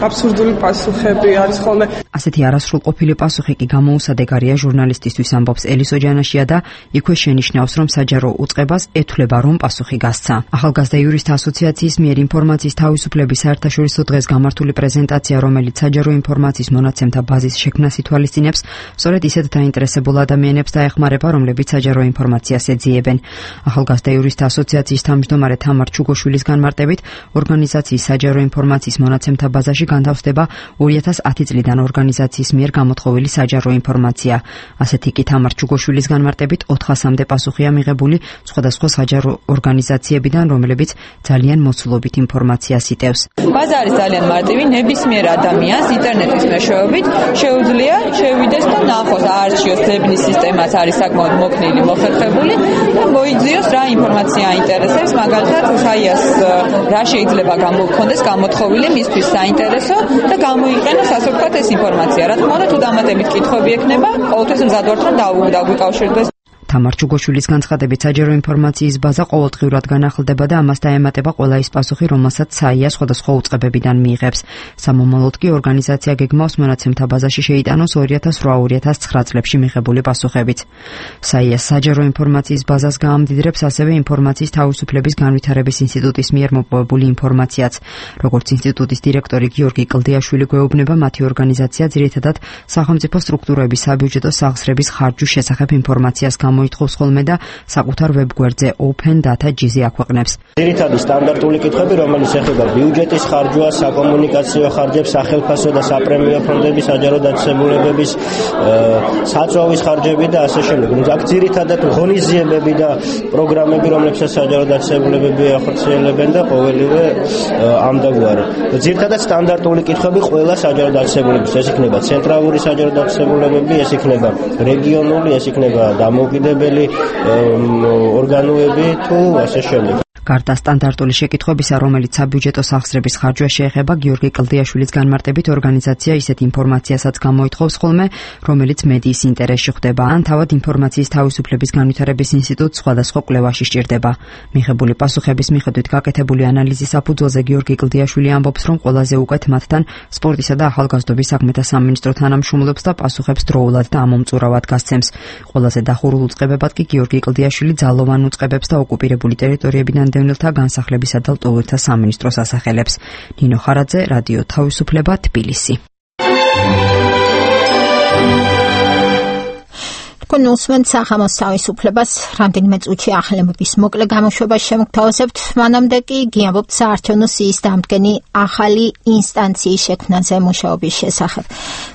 Speaker 21: აბსურდული პასუხები არის ხოლმე.
Speaker 19: ასეთი არასრულყოფილი პასუხი კი გამოუსადეგარია ჟურნალისტისთვის, ამბობს ელისო ჯანაშია და იქვე შენიშნავს, რომ საჯარო უწყებას ეთვლება, რომ პასუხი გასცა. ახალგაზრდა იურისტთა ასოციაციის მიერ ინფორმაციის თავისუფლების საერთაშორისო დღეს გამართული პრეზენტაცია, რომელიც საჯარო ინფორმაციის მონაცემთა ბაზის შექმნას ითვალისწინებს, სწორედ ისეთ დაინტერესებულ ადამიანებს დაეხმარება, რომლებიც საჯარო ინფორმაციას ეძიებენ. ახალგაზრდა იურისტთა ასოციაციის თავმჯდომარე თამარ ჩუგოშვილის განმარტებით, ორგანიზაციის საჯარო ინფორმაციის მონაცემთა ბაზაში განთავსდება ორი ათას ათი წლიდან ორგანიზაციის მიერ გამოთხოვილი საჯარო ინფორმაცია. ასეთი კი თამარ ჩუგოშვილის განმარტებით ოთხასამდე პასუხია მიღებული სხვადასხვა საჯარო ორგანიზაციებიდან, რომლებიც ძალიან მოცულობით ინფორმაციას იტევს.
Speaker 22: ბაზა არის ძალიან მარტივი, ნებისმიერ ადამიანს ინტერნეტის მეშვეობით შეუძლია შევიდეს და ნახოს აარჩიოს ძებნის სისტემაც არის საკმაოდ მოქნილი, მოხერხებული და მოიძიოს რა ინფორმაცია აინტერესებს, მაგალითად საიას რა შეიძლება გამოგქონდეს გამოთხოვილი მისთვის საინტერესო და გამოიყენოს ასე ვთქვათ ეს ინფორმაცია. რა თქმა უნდა, თუ დამატებით კითხვები ექნება, ყოველთვის მზად ვართ რომ დაგვიკავშირდეს.
Speaker 19: თამარ ჩუგოშვილის განცხადებით, საჯარო ინფორმაციის ბაზა ყოველდღიურად განახლდება და ამას დაემატება ყველა ის პასუხი, რომელსაც საია სხვადასხვა უწყებებიდან მიიღებს. სამომავლოდ კი ორგანიზაცია გეგმავს მონაცემთა ბაზაში შეიტანოს ორი ათას რვა ორი ათას ცხრა წლებში მიღებული პასუხებით. საია საჯარო ინფორმაციის ბაზას გაამდიდრებს ასევე ინფორმაციის თავისუფლების განვითარების ინსტიტუტის მიერ მოპოვებული ინფორმაციაც. როგორც ინსტიტუტის დირექტორი გიორგი კლდიაშვილი გვეუბნება, მათი ორგანიზაცია ძირითადად სახელმწიფო სტრუქტურების საბიუჯეტო სახსრების ხარჯვის შესახებ ინფორმაციას მოითხოვს ხოლმე და საკუთარ ვებგვერდზე open data jizzy აქვეყნებს.
Speaker 23: ძირითადი სტანდარტული კითხვები, რომელიც ეხება ბიუჯეტის ხარჯვას, საკომუნიკაციო ხარჯებს, სახელმწიფო და საპრემიო ფონდების საჯარო დაწესებულებების, საწვავის ხარჯები და ასე შემდეგ. აქ ძირითადად ღონისძიებები და პროგრამები, რომლებსაც საჯარო დაწესებულებები ახორციელებენ და ყოველივე ამდაგვარი. ძირითადად სტანდარტული კითხვები ყველა საჯარო დაწესებულების, ეს იქნება ცენტრალური საჯარო დაწესებულებები, ეს იქნება რეგიონული, ეს იქნება დამოუკიდებელი ორგანოები თუ ასე შემდეგ.
Speaker 19: გარდა სტანდარტული შეკითხვებისა, რომელიც საბიუჯეტო სახსრების ხარჯვას შეეხება, გიორგი კლდიაშვილის განმარტებით ორგანიზაცია ისეთ ინფორმაციასაც გამოითხოვს ხოლმე, რომელიც მედიის ინტერესში ხდება, ან თავად ინფორმაციის თავისუფლების განვითარების ინსტიტუტს სხვადასხვა კვლევაში სჭირდება. მიღებული პასუხების მიხედვით გაკეთებული ანალიზის საფუძველზე გიორგი კლდიაშვილი ამბობს, რომ ყველაზე უკეთ მათთან სპორტისა და ახალგაზრდობის საქმეთა სამინისტრო თანამშრომლობს და პასუხებს დროულად და ამომწურავად გასცემს. ყველაზე დახურულ უწყებებად კი გიორგი კლდიაშვილი ძალოვან უწყებებს და ოკუპირებული ტერიტორიებიდან დევნილთა განსახლებისა და ლტოლვილთა სამინისტროს ასახელებს. ნინო ხარაძე, რადიო თავისუფლება, თბილისი.
Speaker 1: კონსუმენტ სახამოს თავისუფლებას რამდენიმე წუთში ახლებების მოკლე გამოშვებას შემოგთავაზებთ, მანამდე კი გიამბობთ საარჩევნო სიის დამდგენი ახალი ინსტანციის შექმნაზე მუშაობის შესახებ.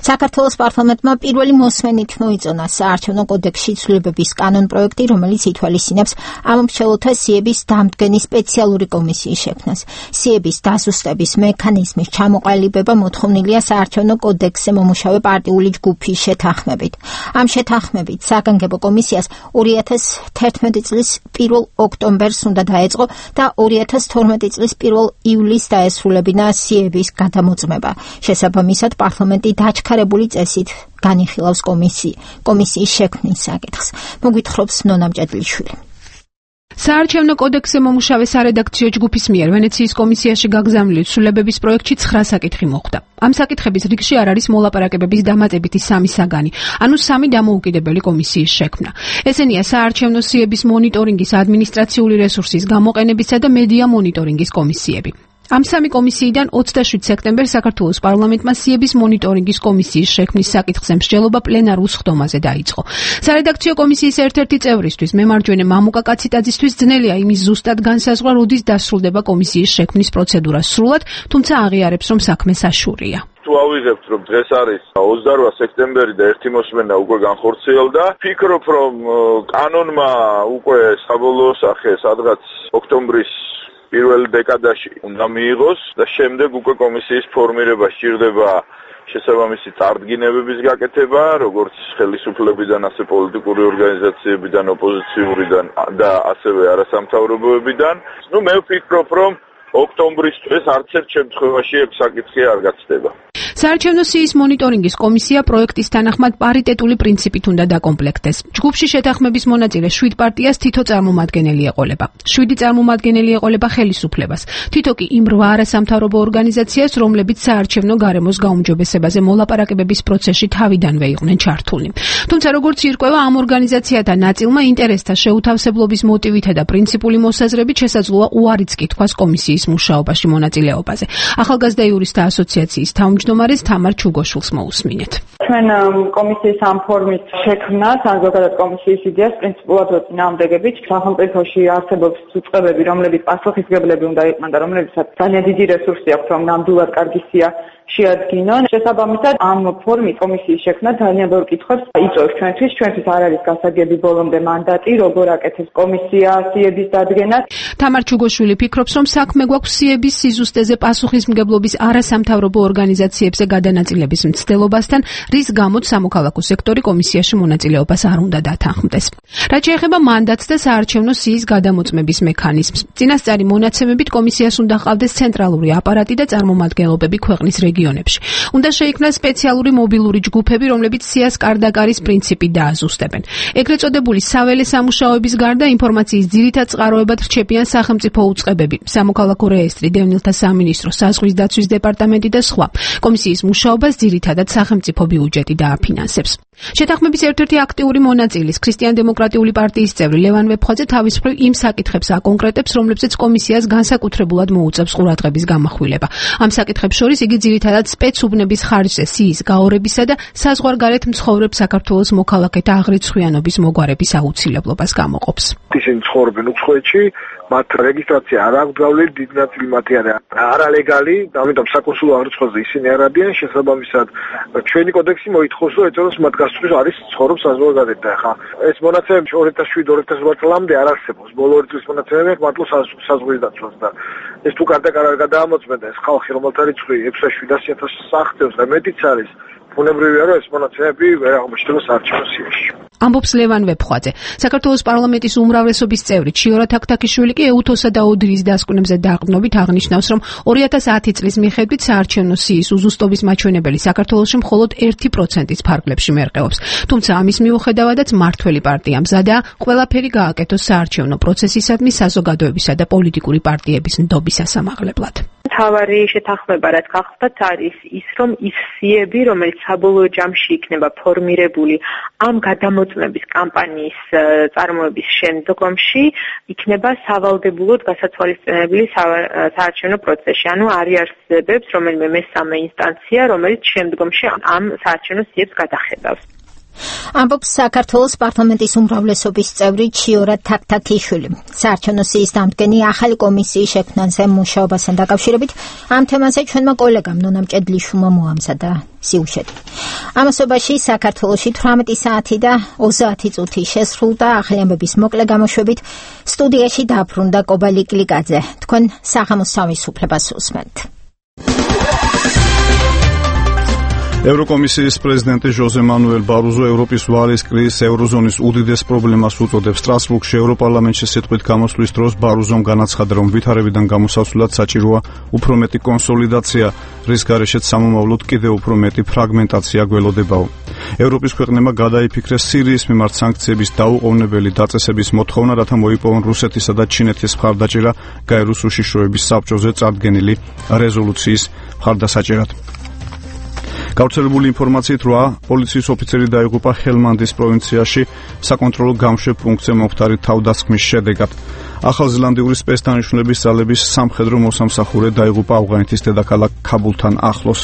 Speaker 1: საქართველოს პარლამენტმა პირველი მოსმენით მოიწონა საარჩევნო კოდექსში ცვლილებების კანონპროექტი, რომელიც ითვალისწინებს ამომრჩეველთა სიების დამდგენი სპეციალური კომისიის შექმნას. სიების დაზუსტების მექანიზმის ჩამოყალიბება მოთხოვნილია საარჩევნო კოდექსზე მომუშავე პარტიული ჯგუფის შეთანხმებით. ამ შეთანხმებით საგანგებო კომისიას ორი ათას თერთმეტი წლის პირველ ოქტომბერს უნდა დაეწყო და ორი ათას თორმეტი წლის პირველ ივლისს დაესრულებინა სიების გადამოწმება. შესაბამისად, პარლამენტი დაჩქარებული წესით განიხილავს კომისიის შექმნის საკითხს. მოგვითხრობს ნონა მჭედლიშვილი.
Speaker 3: საარჩევნო კოდექსზე მომუშავე სარედაქციო ჯგუფის მიერ ვენეციის კომისიაში გაგზავნილი ცვლილებების პროექტში ცხრა საკითხი მოხვდა. ამ საკითხების რიგში არ არის მოლაპარაკებების დამატებითი სამი საგანი, ანუ სამი დამოუკიდებელი კომისიის შექმნა. ესენია საარჩევნო სიების მონიტორინგის ადმინისტრაციული რესურსის გამოყენებისა და მედია მონიტორინგის კომისიები. ამ სამი კომისიიდან ოცდაშვიდ სექტემბერს საქართველოს პარლამენტმა სიების მონიტორინგის კომისიის შექმნის საკითხზე მსჯელობა პლენარულ სხდომაზე დაიწყო. სარედაქციო კომისიის ერთ-ერთი წევრისთვის, მემარჯვენე მამუკა კაციტაძისთვის ძნელია იმის ზუსტად განსაზღვრა, როდის დასრულდება კომისიის შექმნის პროცედურა სრულად, თუმცა აღიარებს, რომ საქმე საშურია.
Speaker 13: თუ ავიღებთ, რომ დღეს არის ოცდარვა სექტემბერი და ერთი მოსმენა უკვე განხორციელდა, ფიქრობ, რომ კანონმა უკვე საბოლოო სახე სადღაც ოქტომბრის პირველ დეკადაში უნდა მიიღოს და შემდეგ უკვე კომისიის ფორმირება სჭირდება შესაბამისი წარდგინებების გაკეთება, როგორც ხელისუფლებიდან, ასე პოლიტიკური ორგანიზაციებიდან, ოპოზიციურიდან და ასევე არასამთავრობოებიდან. ნუ მე ვფიქრობ, რომ ოქტომბრის არც ერთ შემთხვევაში ეს საკითხი არ გაცდება.
Speaker 3: საარჩევნო სიის მონიტორინგის კომისია პროექტის თანახმად პარიტეტული პრინციპით უნდა დაკომპლექტდეს. ჯგუფში შეთანხმების მონაწილე შვიდ პარტიას თითო წარმომადგენელი ეყოლება. შვიდი წარმომადგენელი ეყოლება ხელისუფლებას. თითო კი იმ რვა არასამთავრობო ორგანიზაციას, რომლებიც საარჩევნო გარემოს გაუმჯობესებაზე მოლაპარაკებების პროცესში თავიდანვე იყვნენ ჩართული. თუმცა როგორც ირკვევა, ამ ორგანიზაციათა ნაწილმა ინტერესთა შეუთავსებლობის მოტივითა და პრინციპული მოსაზრებით შესაძლოა უარიც კი თქვას კომისიის მუშაობაში მონაწილეობაზე. ახალგაზრდა იურისტთა ასოციაციის თავმჯდომარე თამარ ჩუგოშვილს მოусმინეთ.
Speaker 6: ჩვენ კომისიის ამ ფორმით შექმნას, ან ზოგადად კომისიის იდეას პრინციპულად ვწინააღმდეგებით. სახელმწიფოში არსებობს უწყებები, რომლებიც პასუხისმგებლები უნდა იყვნენ და რომლებიცაც ძალიან დიდი რესურსი აქვს, რომ ნამდვილად კარგი სია შეადგინონ. შესაბამისად, ამ ფორმით კომისიის შექმნა ძალიან ბევრ კითხვებს იწვევს ჩვენთვის. ჩვენთვის არ არის გასაგები ბოლომდე მანდატი, როგორ აკეთებს კომისია სიების დადგენას.
Speaker 3: თამარ ჩუგოშვილი ფიქრობს, რომ საქმე გვაქვს სიების სიზუსტეზე პასუხისმგებლობის არასამთავრობო ორგანიზაციებზე გადანაწილების მცდელობასთან, რის გამოც სამოქალაქო სექტორი კომისიაში მონაწილეობას არ უნდა დათანხმდეს. რაც შეეხება მანდატს და საარჩევნო სიის გადამოწმების მექანიზმს, წინასწარი მონაცემებით კომისიას უნდა ჰყავდეს ცენტრალური აპარატი და წარმომადგენლობები ქვეყნის რეგიონებში. უნდა შეიქმნას სპეციალური მობილური ჯგუფები, რომლებიც სიას კარდაკარის პრინციპით დააზუსტებენ. ეგრეთ წოდებული საველე სამუშაოების გარდა ინფორმაციის ძირითად წყაროებად რჩებიან სახელმწიფო უწყებები, სამოქალაქო რეესტრი, დევნილთა სამინისტრო, საზღვის დაცვის დეპარტამენტი და სხვა. კომისიის მუშაობას ძირითადად სახელმწიფო ბიუჯეტი დააფინანსებს. შეთანხმების ერთ-ერთი აქტიური მონაწილის, ქრისტიან-დემოკრატიული პარტიის წევრი ლევან ვეფხვაძე თავის მხრივ იმ საკითხებს აკონკრეტებს, რომლებზეც კომისიას განსაკუთრებულად მოუწევს ყურადღების გამახვილება. ამ საკითხებს შორის იგი ძირითადად სპეცუბნების ხარჯზე სიის გაორებისა და საზღვარგარეთ მცხოვრებ საქართველოს მოქალაქეთა აღრიცხვიანობის მოგვარების აუცილებლობას გამოყოფს.
Speaker 7: ისინი ცხოვრობენ უცხოეთში, მათ რეგისტრაცია არ აქვს გავლილი, დიდი ნაწილი მათი არალეგალი, ამიტომ საკონსულო აღრიცხვაზე ისინი არ არიან. შესაბამისად, ჩვენი კოდექსი მოითხოვს, რომ ეწოდოს მათ გასწვრის არის ცხოვრობს საზღვარგარეთ და ხა ეს მონაცემები ორი ათას შვიდ ორი ათას ოთხ წლამდე არ არსებობს. ბოლო ორი წლის მონაცემები მართლა საზღვრის დაცვას და ეს თუ კარდაკარ არ გადაამოწმენ და ეს ხალხი რომელთა რიცხვი ექვსი ათას შვიდ ათას აღწევს და მეტიც არის, ბუნებრივია რომ ეს მონაცემები ვერ აღმოჩნდება საარჩევნო სიაში.
Speaker 3: ამბობს ლევან ვეფხვაძე. საქართველოს პარლამენტის უმრავლესობის წევრი ჩიორა თაქთაქიშვილი კი ეუთოსა და ოდრის დასკვნებზე დაყრდნობით აღნიშნავს, რომ ორი ათას ათი წლის მიხედვით საარჩევნო სიის უზუსტობის მაჩვენებელი საქართველოში მხოლოდ ერთი პროცენტის ფარგლებში მერყეობს. თუმცა ამის მიუხედავადაც მართველი პარტია მზადაა ყველაფერი გააკეთოს საარჩევნო პროცესისადმი საზოგადოებისა და პოლიტიკური პარტიების ნდობის ასამაღლებლად.
Speaker 24: მთავარი შეთანხმება რაც გახლდათ არის ის, რომ ის სიები, რომელიც საბოლოო ჯამში იქნება ფორმირებული ამ გადამო შემოწმების კამპანიის წარმოების შემდგომში იქნება სავალდებულოდ გასაცვალისწინებელი საარჩევნო პროცესი. ანუ არ იარსებებს რომელიმე მესამე ინსტანცია, რომელიც შემდგომში ამ საარჩევნო სიებს გადახედავს.
Speaker 1: ამბობს საქართველოს პარლამენტის უმრავლესობის წევრი ჩიორა თაქთაქიშვილი. საარჩევნო სიის დამდგენი ახალი კომისიის შექმნაზე მუშაობასთან დაკავშირებით ამ თემაზე ჩვენმა კოლეგამ ნონა მჭედლიშვილმა მოამზადა სიუჟეტი. ამასობაში საქართველოში თვრამეტი საათი და ოცდაათი წუთი შესრულდა. ახალი ამბების მოკლე გამოშვებით სტუდიაში დაბრუნდა კობალი კლიკაძე. თქვენ საღამოს თავისუფლებას უსმენთ.
Speaker 2: ევროკომისიის პრეზიდენტი ჟოზე მანუელ ბაროზო ევროპის ვალის კრიზის ევროზონის უდიდეს პრობლემას უწოდებს. სტრასბურგში ევროპარლამენტში სიტყვით გამოსვლის დროს ბაროზომ განაცხადა, რომ ვითარებიდან გამოსასვლელად საჭიროა უფრო მეტი კონსოლიდაცია, რის გარეშეც სამომავლოდ კიდევ უფრო მეტი ფრაგმენტაცია გველოდებაო. ევროპის ქვეყნებმა გადაიფიქრეს სირიის მიმართ სანქციების დაუყოვნებელი დაწესების მოთხოვნა, რათა მოიპოვონ რუსეთისა და ჩინეთის მხარდაჭერა გაეროს უშიშროების საბჭოზე წარდგენილი რეზოლუციის მხარდასაჭერად. გავრცელებული ინფორმაციით რვა პოლიციის ოფიცერი დაიღუპა ჰელმანდის პროვინციაში საკონტროლო გამშვებ პუნქტზე მომხდარი თავდასხმის შედეგად. ახალზელანდიური სპეცდანიშნულების ძალების სამხედრო მოსამსახურე დაიღუპა ავღანეთის დედაქალაქ ქაბულთან ახლოს.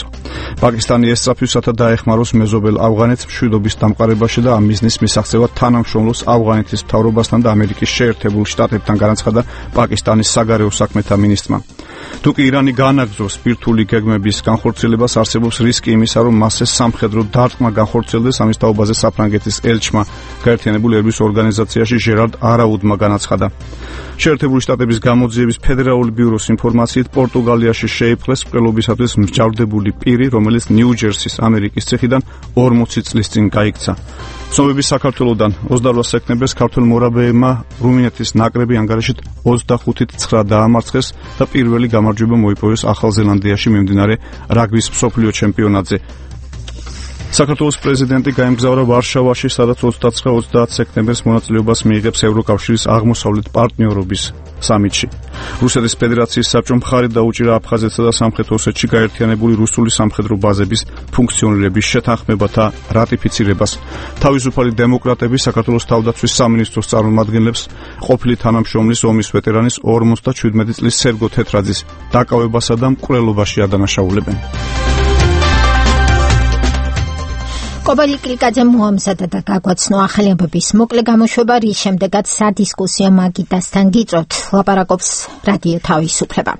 Speaker 2: პაკისტანი ესწრაფვისათა დაეხმაროს მეზობელ ავღანეთს მშვიდობის დამყარებაში და ამ მიზნის მისაღწევად თანამშრომლობს ავღანეთის მთავრობასთან და ამერიკის შეერთებულ შტატებთან, განაცხადა პაკისტანის საგარეო საქმეთა მინისტრმა. თუ კი ირანი განაგრძობს ბირთვული გეგმების განხორციელებას, არსებობს რისკი იმისა, რომ მასზე სამხედრო დარტყმა განხორციელდეს. ამის თაობაზე საფრანგეთის ელჩმა გაერთიანებული ერების ორგანიზაციაში ჟერარდ არაუდმა განაცხადა. შეერთებული შტატების გამოძიების ფედერალური ბიუროს ინფორმაციით პორტუგალიაში შეიპყრეს მკვლელობისათვის მსჯავრდებული პირი, რომელიც ნიუ-ჯერსის ამერიკის ციხიდან ორმოცი წლის წინ გაიქცა. ცნობების საქართველოდან ოცდარვა სექტემბერს ქართველ მორაბეებმა რუმინეთის ნაკრები ანგარიშით ოცდახუთი ცხრა დაამარცხეს და პირველი გამარჯვება მოიპოვეს ახალზელანდიაში მიმდინარე რაგბის მსოფლიო ჩემპიონატზე. საქართველოს პრეზიდენტი გაემგზავრა ვარშავაში, სადაც ოცდაცხრა ოცდაათი სექტემბერს მონაწილეობას მიიღებს ევროკავშირის აღმოსავლეთ პარტნიორობის სამიტში. რუსეთის ფედერაციის საბჭომ მხარი დაუჭირა აფხაზეთსა და სამხრეთ ოსეთში გაერთიანებული რუსული სამხედრო ბაზების ფუნქციონირების შეთანხმებათა რატიფიცირებას. თავისუფალი დემოკრატები საქართველოს თავდაცვის სამინისტროს წარმომადგენლებს ყოფილი თანამშრომლის ომის ვეტერანის ორმოცდაჩვიდმეტი წლის სერგო თეთრაძის დაკავებასა და მკვლელობაში ადანაშაულებენ.
Speaker 1: კობალი კლიკაძე მოამზადა და გაგვაცნო ახალი ამბების მოკლე გამოშვება, რის შემდეგაც სადისკუსიო მაგიდასთან გიწევთ, ლაპარაკობს რადიო თავისუფლება.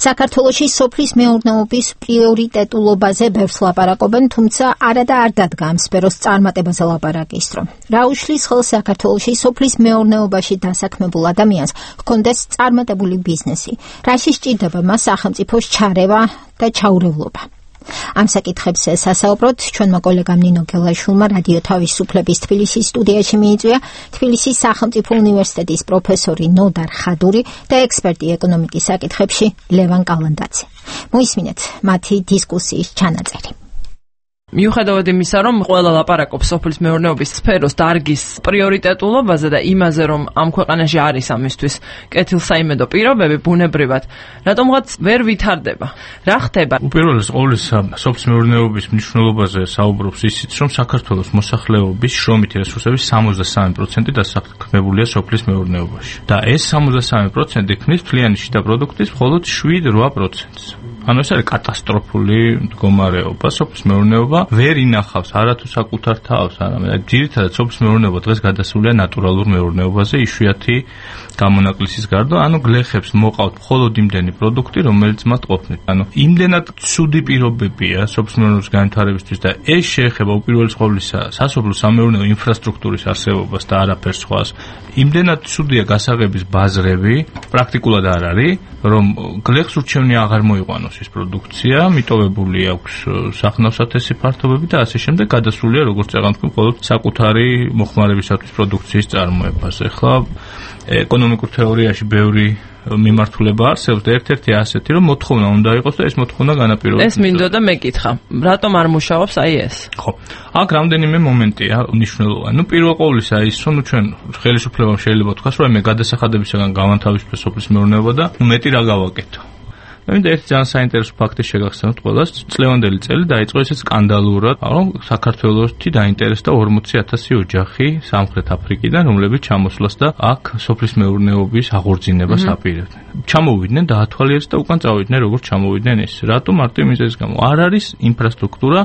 Speaker 1: საქართველოში სოფლის მეურნეობის პრიორიტეტულობაზე ბევრს ლაპარაკობენ, თუმცა არა და არ დადგა ამ სფეროს წარმატებაზე ლაპარაკის დრო. რა უშლის ხელს საქართველოში სოფლის მეურნეობაში დასაქმებულ ადამიანს ჰქონდეს წარმატებული ბიზნესი, რაში სჭირდება მას სახელმწიფოს ჩარევა და ჩაურევლობა. ამ საკითხებზე სასაუბროთ ჩვენმა კოლეგამ ნინო გელაშვილმა რადიო თავისუფლების თბილისის სტუდიაში მიიწვია თბილისის სახელმწიფო უნივერსიტეტის პროფესორი ნოდარ ხადური და ექსპერტი ეკონომიკის საკითხებში ლევან კალანდაძე. მოისმინეთ მათი დისკუსიის ჩანაწერი.
Speaker 8: მიუხედავად იმისა, რომ ყველა ლაპარაკობს სოფლის მეურნეობის სფეროს დარგის პრიორიტეტულობაზე და იმაზე, რომ ამ ქვეყანაში არის ამისთვის კეთილსაიმედო პირობები ბუნებრივად, რატომღაც ვერ ვითარდება. რა ხდება?
Speaker 9: უპირველეს ყოვლისა, სოფლის მეურნეობის მნიშვნელობაზე საუბრობს ისიც, რომ საქართველოს მოსახლეობის შრომითი რესურსების სამოცდასამი პროცენტი დასაქმებულია სოფლის მეურნეობაში. და ეს სამოცდასამი პროცენტი ქმნის მთლიანი შიდა პროდუქტის მხოლოდ შვიდ რვა პროცენტს. ანუ ეს არის კატასტროფული მდგომარეობა. სოფლის მეურნეობა ვერ ინახავს არათუ საკუთარ თავს, არამედ ძირითადად სოფლის მეურნეობა დღეს გადასულია ნატურალურ მეურნეობაზე, იშვიათი გამონაკლისის გარდა, ანუ გლეხებს მოყავთ მხოლოდ იმდენი პროდუქტი, რომელიც მათ ყოფნით. ანუ იმდენად ცუდი პირობებია სოფლის მეურნეობის განვითარებისთვის და ეს შეეხება უპირველეს ყოვლისა სასოფლო სამეურნეო ინფრასტრუქტურის არსებობას და არაფერს სხვას. იმდენად ცუდია გასაღების ბაზრები, პრაქტიკულად არ არის, რომ გლეხს ურჩევნია აღარ მოიყვანოს ის პროდუქცია, მიტოვებული აქვს სახნავსათესი ფართობები და ასე შემდეგ, გადასულია როგორც წეგან თქვი მხოლოდ საკუთარი მოხმარებისათვის პროდუქციის წარმოებას. ეხლა ეკონომიკურ თეორიაში ბევრი მიმართულება არსებობს და ერთ-ერთი ასეთი, რომ მოთხოვნა უნდა იყოს და ეს მოთხოვნა განაპირობებს.
Speaker 8: ეს მინდოდა მეკითხა. რატომ არ მუშაობს აი ეს?
Speaker 9: ხო. აქ რამდენიმე მომენტია მნიშვნელოვანი. ნუ პირველ ყოვლისა ის, რომ ჩვენ ხელისუფლებამ შეიძლება თქვას, რომ მე გადასახადებისაგან გავანთავისუფლე სოფლის მეურნეობა და ნუ მეტი რა გავაკეთო. მე მინდა ერთი ძალიან საინტერესო ფაქტი შეგახსენოთ ყველას. წლევანდელი წელი დაიწყო ესეც სკანდალურად, რომ საქართველოსში დაინტერესდა ორმოცი ათასი ოჯახი სამხრეთ აფრიკიდან, რომლებიც ჩამოსვლას და აქ სოფლის მეურნეობის აღორძინებას აპირებდნენ. ჩამოვიდნენ, დაათვალიერეს და უკან წავიდნენ, როგორც ჩამოვიდნენ ეს. რატომ? მარტო იმის გამო. არ არის ინფრასტრუქტურა,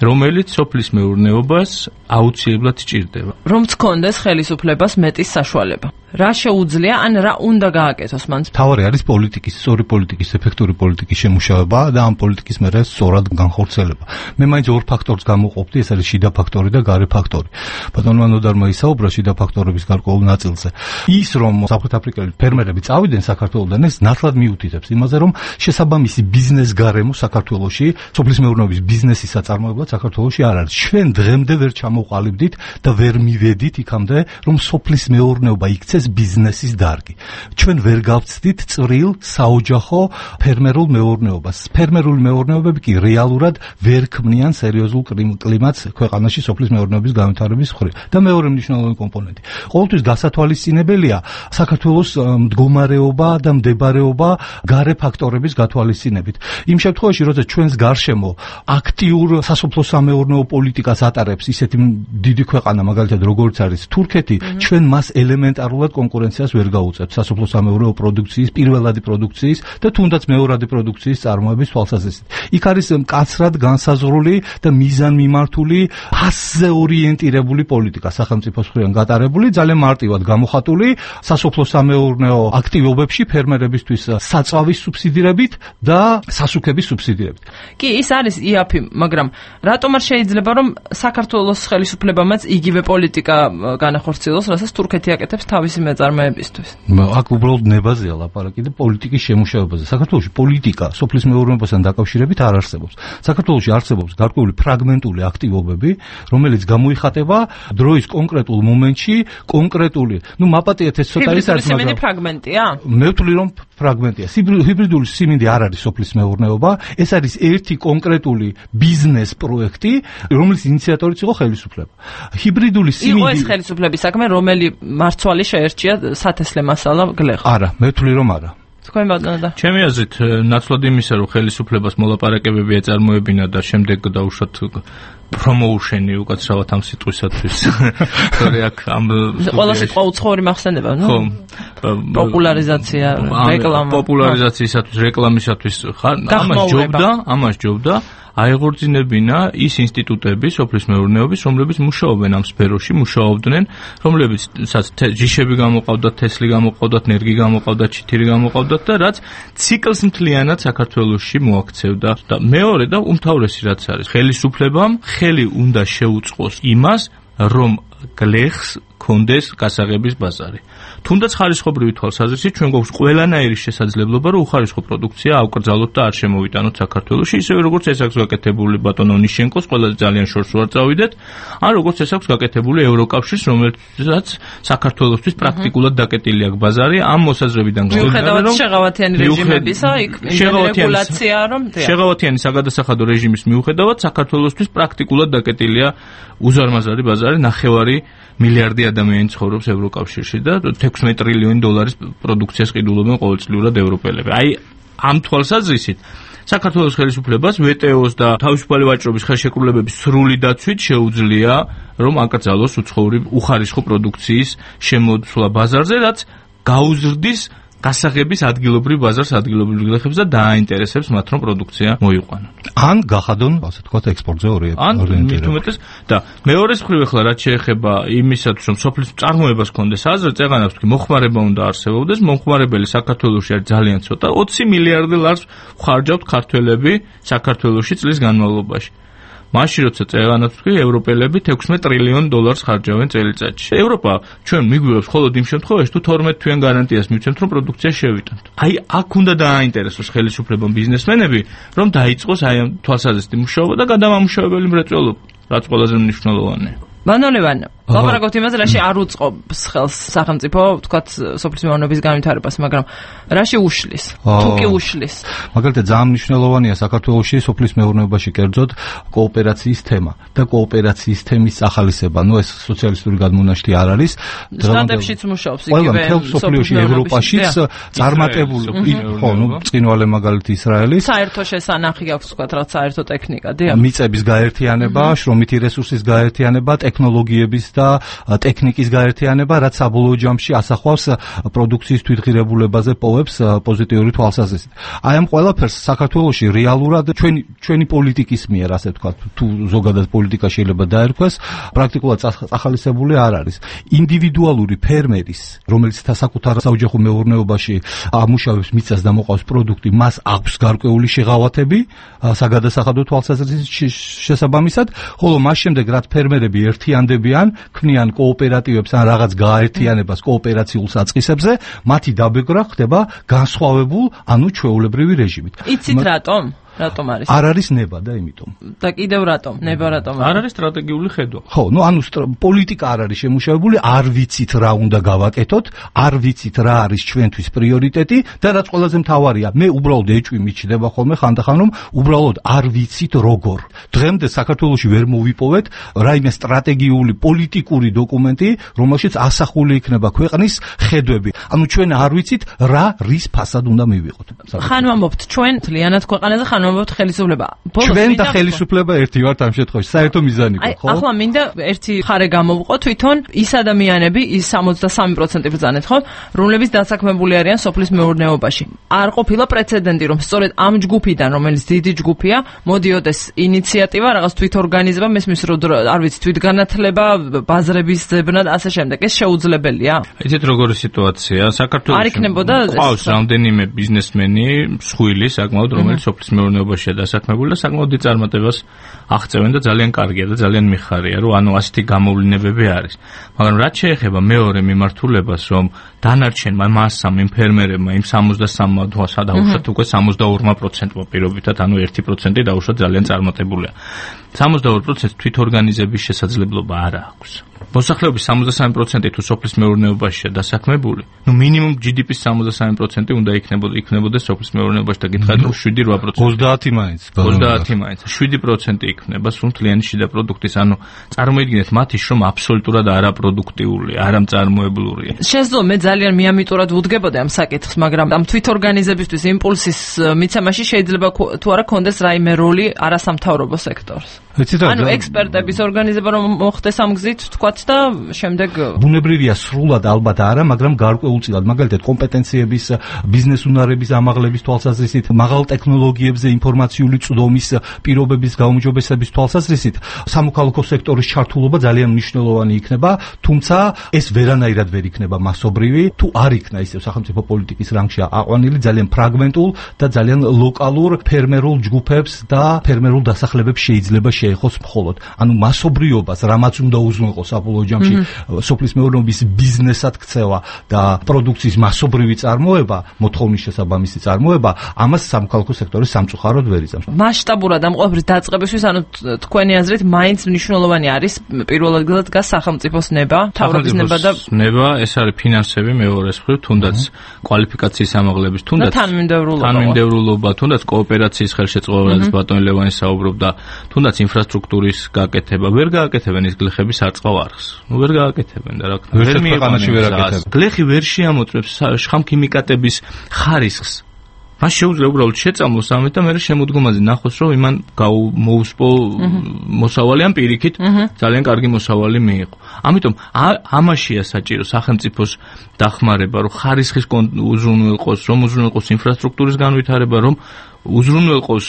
Speaker 9: რომელიც სოფლის მეურნეობას აუცილებლად სჭირდება.
Speaker 8: რომ გქონდეს ხელისუფლებას მეტის საშუალება. რა შეუძლია, ან რა უნდა გააკეთოს მან?
Speaker 4: თავარი არის პოლიტიკის, სწორი პოლიტიკის, ეფექტური პოლიტიკის შემუშავება და ამ პოლიტიკის მერე სწორად განხორციელება. მე მაინც ორ ფაქტორს გამოვყოფდი, ეს არის შიდა ფაქტორი და გარე ფაქტორი. ბატონმა ნოდარმა ისაუბრა შიდა ფაქტორების გარკვეულ ნაწილზე. ის რომ სამხრეთაფრიკელი ფერმერები წავიდნენ საქართველოდან, ეს ნათლად მიუთითებს იმაზე, რომ შესაბამისი ბიზნეს გარემო საქართველოში, სოფლის მეურნეობის ბიზნესის საწარმოებლად საქართველოში არ არის. ჩვენ დღემდე ვერ ჩამოვყალიბდით და ვერ მივედით იქამდე, რომ სოფლის მეურნეობა იქცეს ბიზნესის დარგი. ჩვენ ვერ გავცდით წვრილ საოჯახო ფერმერულ მეურნეობას. ფერმერული მეურნეობები კი რეალურად ვერ ქმნიან სერიოზულ კლიმატს ქვეყანაში სოფლის მეურნეობის განვითარების მხრივ. და მეორე მნიშვნელოვანი კომპონენტი. ყოველთვის გასათვალისწინებელია საქართველოს მდგომარეობა და მდებარეობა გარე ფაქტორების გათვალისწინებით. იმ შემთხვევაში, როცა ჩვენს გარშემო აქტიურ სასოფლო-სამეურნეო პოლიტიკას ატარებს ისეთი დიდი ქვეყანა, მაგალითად როგორც არის თურქეთი, ჩვენ მას ელემენტარულად კონკურენციას ვერ გაუწევთ სასოფლო-სამეურნეო პროდუქციის, პირველადი პროდუქციის და თუნდაც მეორადი პროდუქციის წარმოების თვალსაზრისით. იქ არის მკაცრად განსაზღვრული და მიზანმიმართული ფასზე ორიენტირებული პოლიტიკა სახელმწიფოს მხრიდან გატარებული, ძალიან მარტივად გამოხატული სასოფლო-სამეურნეო აქტივობებში ფერმერებისთვის საწვავის სუბსიდირებით და სასუქების სუბსიდირებით.
Speaker 8: კი, ის არის იაფი, მაგრამ რატომ არ შეიძლება რომ საქართველოს ხელისუფლებამაც იგივე პოლიტიკა განახორციელოს, რასაც თურქეთი აკეთებს თავისი მეწარმეებისთვის?
Speaker 4: აქ უბრალოდ ნებაზეა ლაპარაკი და პოლიტიკის შემუშავებაზე. საქართველოში პოლიტიკა სოფლის მეურნეობასთან დაკავშირებით არ არსებობს. საქართველოში არსებობს გარკვეული ფრაგმენტული აქტივობები, რომელიც გამოიხატება დროის კონკრეტულ მომენტში, კონკრეტული, ну მაპატიეთ ეს ცოტა ის არის,
Speaker 8: მაგრამ ფრაგმენტია?
Speaker 4: მე ვთვლი რომ ფრაგმენტია. ჰიბრიდული სიმინდი არ არის სოფლის მეურნეობა, ეს არის ერთი კონკრეტული ბიზნეს პროექტი, რომლის ინიციატორიც იყო ხელისუფლება. ჰიბრიდული სიმინდი
Speaker 8: იყო ეს ხელისუფლების საქმე, რომელი მარცვალი შეერჩია სათესლე მასალა გლეხ?
Speaker 4: არა, მე ვთვლი რომ არა.
Speaker 8: თქვენ ბატონო და
Speaker 9: ჩემი აზრით ნაცვლად იმისა, რომ ხელისუფლებას მოლაპარაკებები ეწარმოებინა და შემდეგ დაუშვათ პრომოუშენი უკაცრავად ამ სიტყვისათვის. თორე აქ ამ
Speaker 8: ყველა სიტყვა უცხოური მახსენდება, ნუ?
Speaker 9: ხო.
Speaker 8: პოპულარიზაცია, რეკლამა.
Speaker 9: პოპულარიზაციისათვის, რეკლამისათვის ხარ, ამას ჯობდა, ამას ჯობდა. აეღორძინებინა ის ინსტიტუტები სოფლის მეურნეობის, რომლებიც მუშაობენ ამ სფეროში, მუშაობდნენ, რომლებიც ჯიშები გამოყავდათ, თესლი გამოყავდათ, ნერგი გამოყავდათ, ჩითირი გამოყავდათ და რაც ციკლს მთლიანად საქართველოში მოაქცევდა. და მეორე და უმთავრესი რაც არის, ხელისუფლებამ ხელი უნდა შეუწყოს იმას, რომ გლეხს კონდეს გასაღების ბაზარი. თუნდაც ხარისხობრივი თვალსაზრისით ჩვენ გვაქვს ყველანაირი შესაძლებლობა, რომ უხარისხო პროდუქცია ავკრძალოთ და არ შემოვიტანოთ საქართველოში, ისევე როგორც ეს აქვს გაკეთებული ბატონო ნიშენკოს, ყველაზე ძალიან შორს ვარ წავიდეთ, ან როგორც ეს აქვს გაკეთებული ევროკავშირს, რომელსაც საქართველოსთვის პრაქტიკულად დაკეტილი აქვს ბაზარი, ამ მოსაზრებიდან
Speaker 8: გამომდინარე, რომ შეღავათიანი რეჟიმებისა, იქ რეგულაცია, რომ
Speaker 9: შეღავათიანი საგადასახადო რეჟიმის მიუხედავად საქართველოსთვის პრაქტიკულად დაკეტილია უზარმაზარი ბაზარი, ნახევარი მილიარდი ადამიანი ცხოვრობს ევროკავშირში და ექვსმეტ ტრილიონი დოლარის პროდუქციას ყიდულობენ ყოველწლიურად ევროპელები. აი ამ თვალსაზრისით საქართველოს ხელისუფლებას ვეტეოს და თავისუფალი ვაჭრობის ხელშეკრულებების სრული დაცვით შეუძლია რომ აკრძალოს უცხოური უხარისხო პროდუქციის შემოსვლა ბაზარზე, რაც გაუზრდის გასაღების ადგილობრივ ბაზარს, ადგილობრივ გლეხებს და დააინტერესებს მათ, რომ პროდუქცია მოიყვანონ.
Speaker 4: ან გახადონ, ასე ვთქვათ, ექსპორტზე ორიენტირებული.
Speaker 9: და მეორეს მხრივ ახლა რაც შეეხება იმისათვის, რომ სოფლის წარმოებას ჰქონდეს აზრი, წეღანავს კი მოხმარება უნდა არსებობდეს, მომხმარებელი საქართველოში არის ძალიან ცოტა, ოცი მილიარდი ლარს ხარჯავთ ქართველები საქართველოში წლის განმავლობაში. მაშინ როცა წეღანავს კი ევროპელები ექვსმეტ ტრილიონ დოლარს ხარჯავენ წელიწადში. ევროპა ჩვენ მიგვიღებს მხოლოდ იმ შემთხვევაში, თუ თორმეტ თვიან გარანტიას მივცემთ, რომ პროდუქცია შევიტანთ. აი აქ უნდა დააინტერესოს ხელისუფლებამ ბიზნესმენები, რომ დაიწყოს აი ამ თვალსაზრისით მუშაობა და გადამამუშავებელი მრეწველობა, რაც ყველაზე მნიშვნელოვანია.
Speaker 8: ბანონევან ლაპარაკობთ იმაზე, რაში არ უწყობს ხელს სახელმწიფო, ვთქვათ, სოფლის მეურნეობის განვითარებას, მაგრამ რაში უშლის? თუ კი უშლის.
Speaker 4: მაგალითად, ძალიან მნიშვნელოვანია საქართველოში სოფლის მეურნეობაში კერძოდ კოოპერაციის თემა და კოოპერაციის თემის ახალისება. ნუ ეს სოციალისტური გადმონაშთი არ არის.
Speaker 8: შტატებშიც მუშაობს იგივე
Speaker 4: სოფლიოში, ევროპაშიც წარმატებული, ხო, ნუ წინვალე მაგალითი ისრაელის.
Speaker 8: საერთო შესანახი აქვს, ვთქვათ, რაც საერთო ტექნიკა, დიახ.
Speaker 4: მიწების გაერთიანება, შრომითი რესურსის გაერთიანება, ტექნოლოგიების და ტექნიკის გაერთიანება, რაც საბოლოო ჯამში ასახვავს პროდუქციის თვითღირებულებაზე პოვებს პოზიტიური თვალსაზრისით. აი ამ ყველაფერს საქართველოში რეალურად ჩვენი ჩვენი პოლიტიკის მიერ, ასე ვთქვათ, თუ ზოგადად პოლიტიკა შეიძლება დაერქვეს, პრაქტიკულად ახალისებული არ არის. ინდივიდუალური ფერმერის, რომელიც საკუთარ საოჯახო მეურნეობაში ამუშავებს მიწას და მოყავს პროდუქტი, მას აქვს გარკვეული შეღავათები საგადასახადო თვალსაზრისით შესაბამისად, ხოლო მას შემდეგ რაც ფერმერები ერთიანდებიან, ქმნიან კოოპერატივებს ან რაღაც გააერთიანებას კოოპერაციულ საწყისებზე, მათი დაბეჭდა ხდება განსხვავებულ, ანუ ჩვეულებრივი რეჟიმით.
Speaker 8: იცით რატომ? რატომ არის?
Speaker 4: არ არის ნება და იმიტომ.
Speaker 8: და კიდევ რატომ? ნება რატომ?
Speaker 9: არ არის სტრატეგიული ხედვა.
Speaker 4: ხო, ну, ანუ პოლიტიკა არ არის შემუშავებული, არ ვიცით რა უნდა გავაკეთოთ, არ ვიცით რა არის ჩვენთვის პრიორიტეტი და რაც ყველაზე მთავარია, მე უბრალოდ ეჭვი მიჩნდება ხოლმე ხანდახან, რომ უბრალოდ არ ვიცით როგორ. დღემდე საქართველოში ვერ მოვიპოვეთ რაიმე სტრატეგიული პოლიტიკური დოკუმენტი, რომელშიც ასახული იქნება ქვეყნის ხედვები. ანუ ჩვენ არ ვიცით რა რის ფასად უნდა მივიღოთ.
Speaker 8: ხან ვამბობთ ჩვენ თლიანად ქვეყანაზე ხან ვამბობთ ხელისუფლება.
Speaker 4: ჩვენ და ხელისუფლება ერთი ვართ ამ შემთხვევაში. საერთო მიზანი
Speaker 8: გქონდა, ხო? ახლა მინდა ერთი ხარე გამოვყო თვითონ ის ადამიანები, ის სამოცდასამი პროცენტი ბრძანეთ, ხო, რომლებიც დასაქმებული არიან სოფლის მეურნეობაში. არ ყოფილა პრეცედენტი, რომ სწორედ ამ ჯგუფიდან, რომელიც დიდი ჯგუფია, მოდიოდეს ინიციატივა, რაღაც თვითორგანიზება, მესმის რო არ ვიცი, თვითგანათლება, ბაზრების ძებნა და ასე შემდეგ. ეს შეუძლებელია?
Speaker 9: იცით როგორი სიტუაცია? საქართველოში
Speaker 8: არ იქნებოდა
Speaker 9: ყავს რამდენიმე ბიზნესმენი, მსხვილი, საკმაოდ, რომელიც სოფლის მეურნეობაშია დასაქმებული და საკმაოდ დიდ წარმატებას აღწევენ და ძალიან კარგია და ძალიან მიხარია, რომ ანუ ასეთი გამოვლენებები არის. მაგრამ რაც შეეხება მეორე მიმართულებას, რომ დანარჩენმა მასამ იმ ფერმერებმა იმ სამოცდასამმა დაუშვათ უკვე სამოცდაორ პროცენტმა პირობითად, ანუ ერთი პროცენტი დაუშვათ ძალიან წარმატებულია. სამოცდაორ პროცენტს თვითორგანიზების შესაძლებლობა არ აქვს. მოსახლეობის სამოცდასამი პროცენტი თუ სოფლის მეურნეობაშია დასაქმებული, ნუ მინიმუმ ჯი დი პის სამოცდასამი პროცენტი უნდა იქნებოდა იქნებოდეს სოფლის მეურნეობაში და გითხარით რომ შვიდი რვა პროცენტი.
Speaker 4: ოცდაათი მაინც.
Speaker 9: ოცდაათი მაინც. შვიდი პროცენტი იქნება სულ მთლიანი შიდა პროდუქტის, ანუ წარმოიდგინეთ მათი შრომ აბსოლუტურად არაპროდუქტიულია, არამწარმოებლურია.
Speaker 8: შესაძლოა მე ძალიან მიამიტურად ვუდგებოდი ამ საკითხს, მაგრამ ამ თვითორგანიზებისთვის იმპულსის მიცემაში შეიძლება თუ არა კონდეს რაიმე როლი არასამთავრობო სექტორს. ანუ ექსპერტების ორგანიზება რომ მოხდეს ამ გზით, თქვათ და შემდეგ
Speaker 4: ბუნებრივია სრულად ალბათ არა, მაგრამ გარკვეულწილად, მაგალითად კომპეტენციების, ბიზნეს უნარების ამაღლების თვალსაზრისით, მაღალ ტექნოლოგიებზე ინფორმაციული წვდომის პირობების გაუმჯობესების თვალსაზრისით, სამოქალაქო სექტორის ჩართულობა ძალიან მნიშვნელოვანი იქნება, თუმცა ეს ვერანაირად ვერ იქნება მასობრივი, თუ არ იქნა ისევ სახელმწიფო პოლიტიკის რანგში აყვანილი ძალიან ფრაგმენტულ და ძალიან ლოკალურ ფერმერულ ჯგუფებს და ფერმერულ დასახლებებს შეიძლება შეეხოს მხოლოდ. ანუ მასობრიობას, რამაც უნდა უზრუნველყოს საბოლოო ჯამში სოფლის მეურნეობის ბიზნესად ქცევა და პროდუქციის მასობრივი წარმოება, მოთხოვნის შესაბამისი წარმოება, ამას სამოქალაქო სექტორის სამწუხაროდ ვერ იწამს.
Speaker 8: მასშტაბურად ამ ყველაფრის დაწყებისთვის, ანუ თქვენი აზრით, მაინც მნიშვნელოვანი არის პირველ ადგილად დგას სახელმწიფოს ნება, მთავრობის ნება და
Speaker 9: ნება, ეს არის ფინანსები მეორეს მხრივ, თუნდაც კვალიფიკაციის ამაღლების, თუნდაც თანმიმდევრულობა, თუნდაც კოოპერაციის ხელშეწყობა, რაც ბატონი ლევანი საუბრობდა, თუნდაც ინფრასტრუქტურის გაკეთება, ვერ გააკეთებენ ის გლეხების არწყავ არხს. ნუ ვერ გააკეთებენ და რა თქმა უნდა, ვერ მიიღანაში ვერ აკეთებენ. გლეხი ვერ შეამოწმებს შხამქიმიკატების ხარისხს. მას შეუძლია უბრალოდ შეწამლოს ამით და მე შემოდგომაზე ნახოს, რომ იმან მოუსპო მოსავალი ან პირიქით ძალიან კარგი მოსავალი მიიღო. ამიტომ ამაშია საჭირო სახელმწიფოს დახმარება, რომ ხარისხის უზრუნველყოს, რომ უზრუნველყოს ინფრასტრუქტურის განვითარება, რომ უზრუნველყოს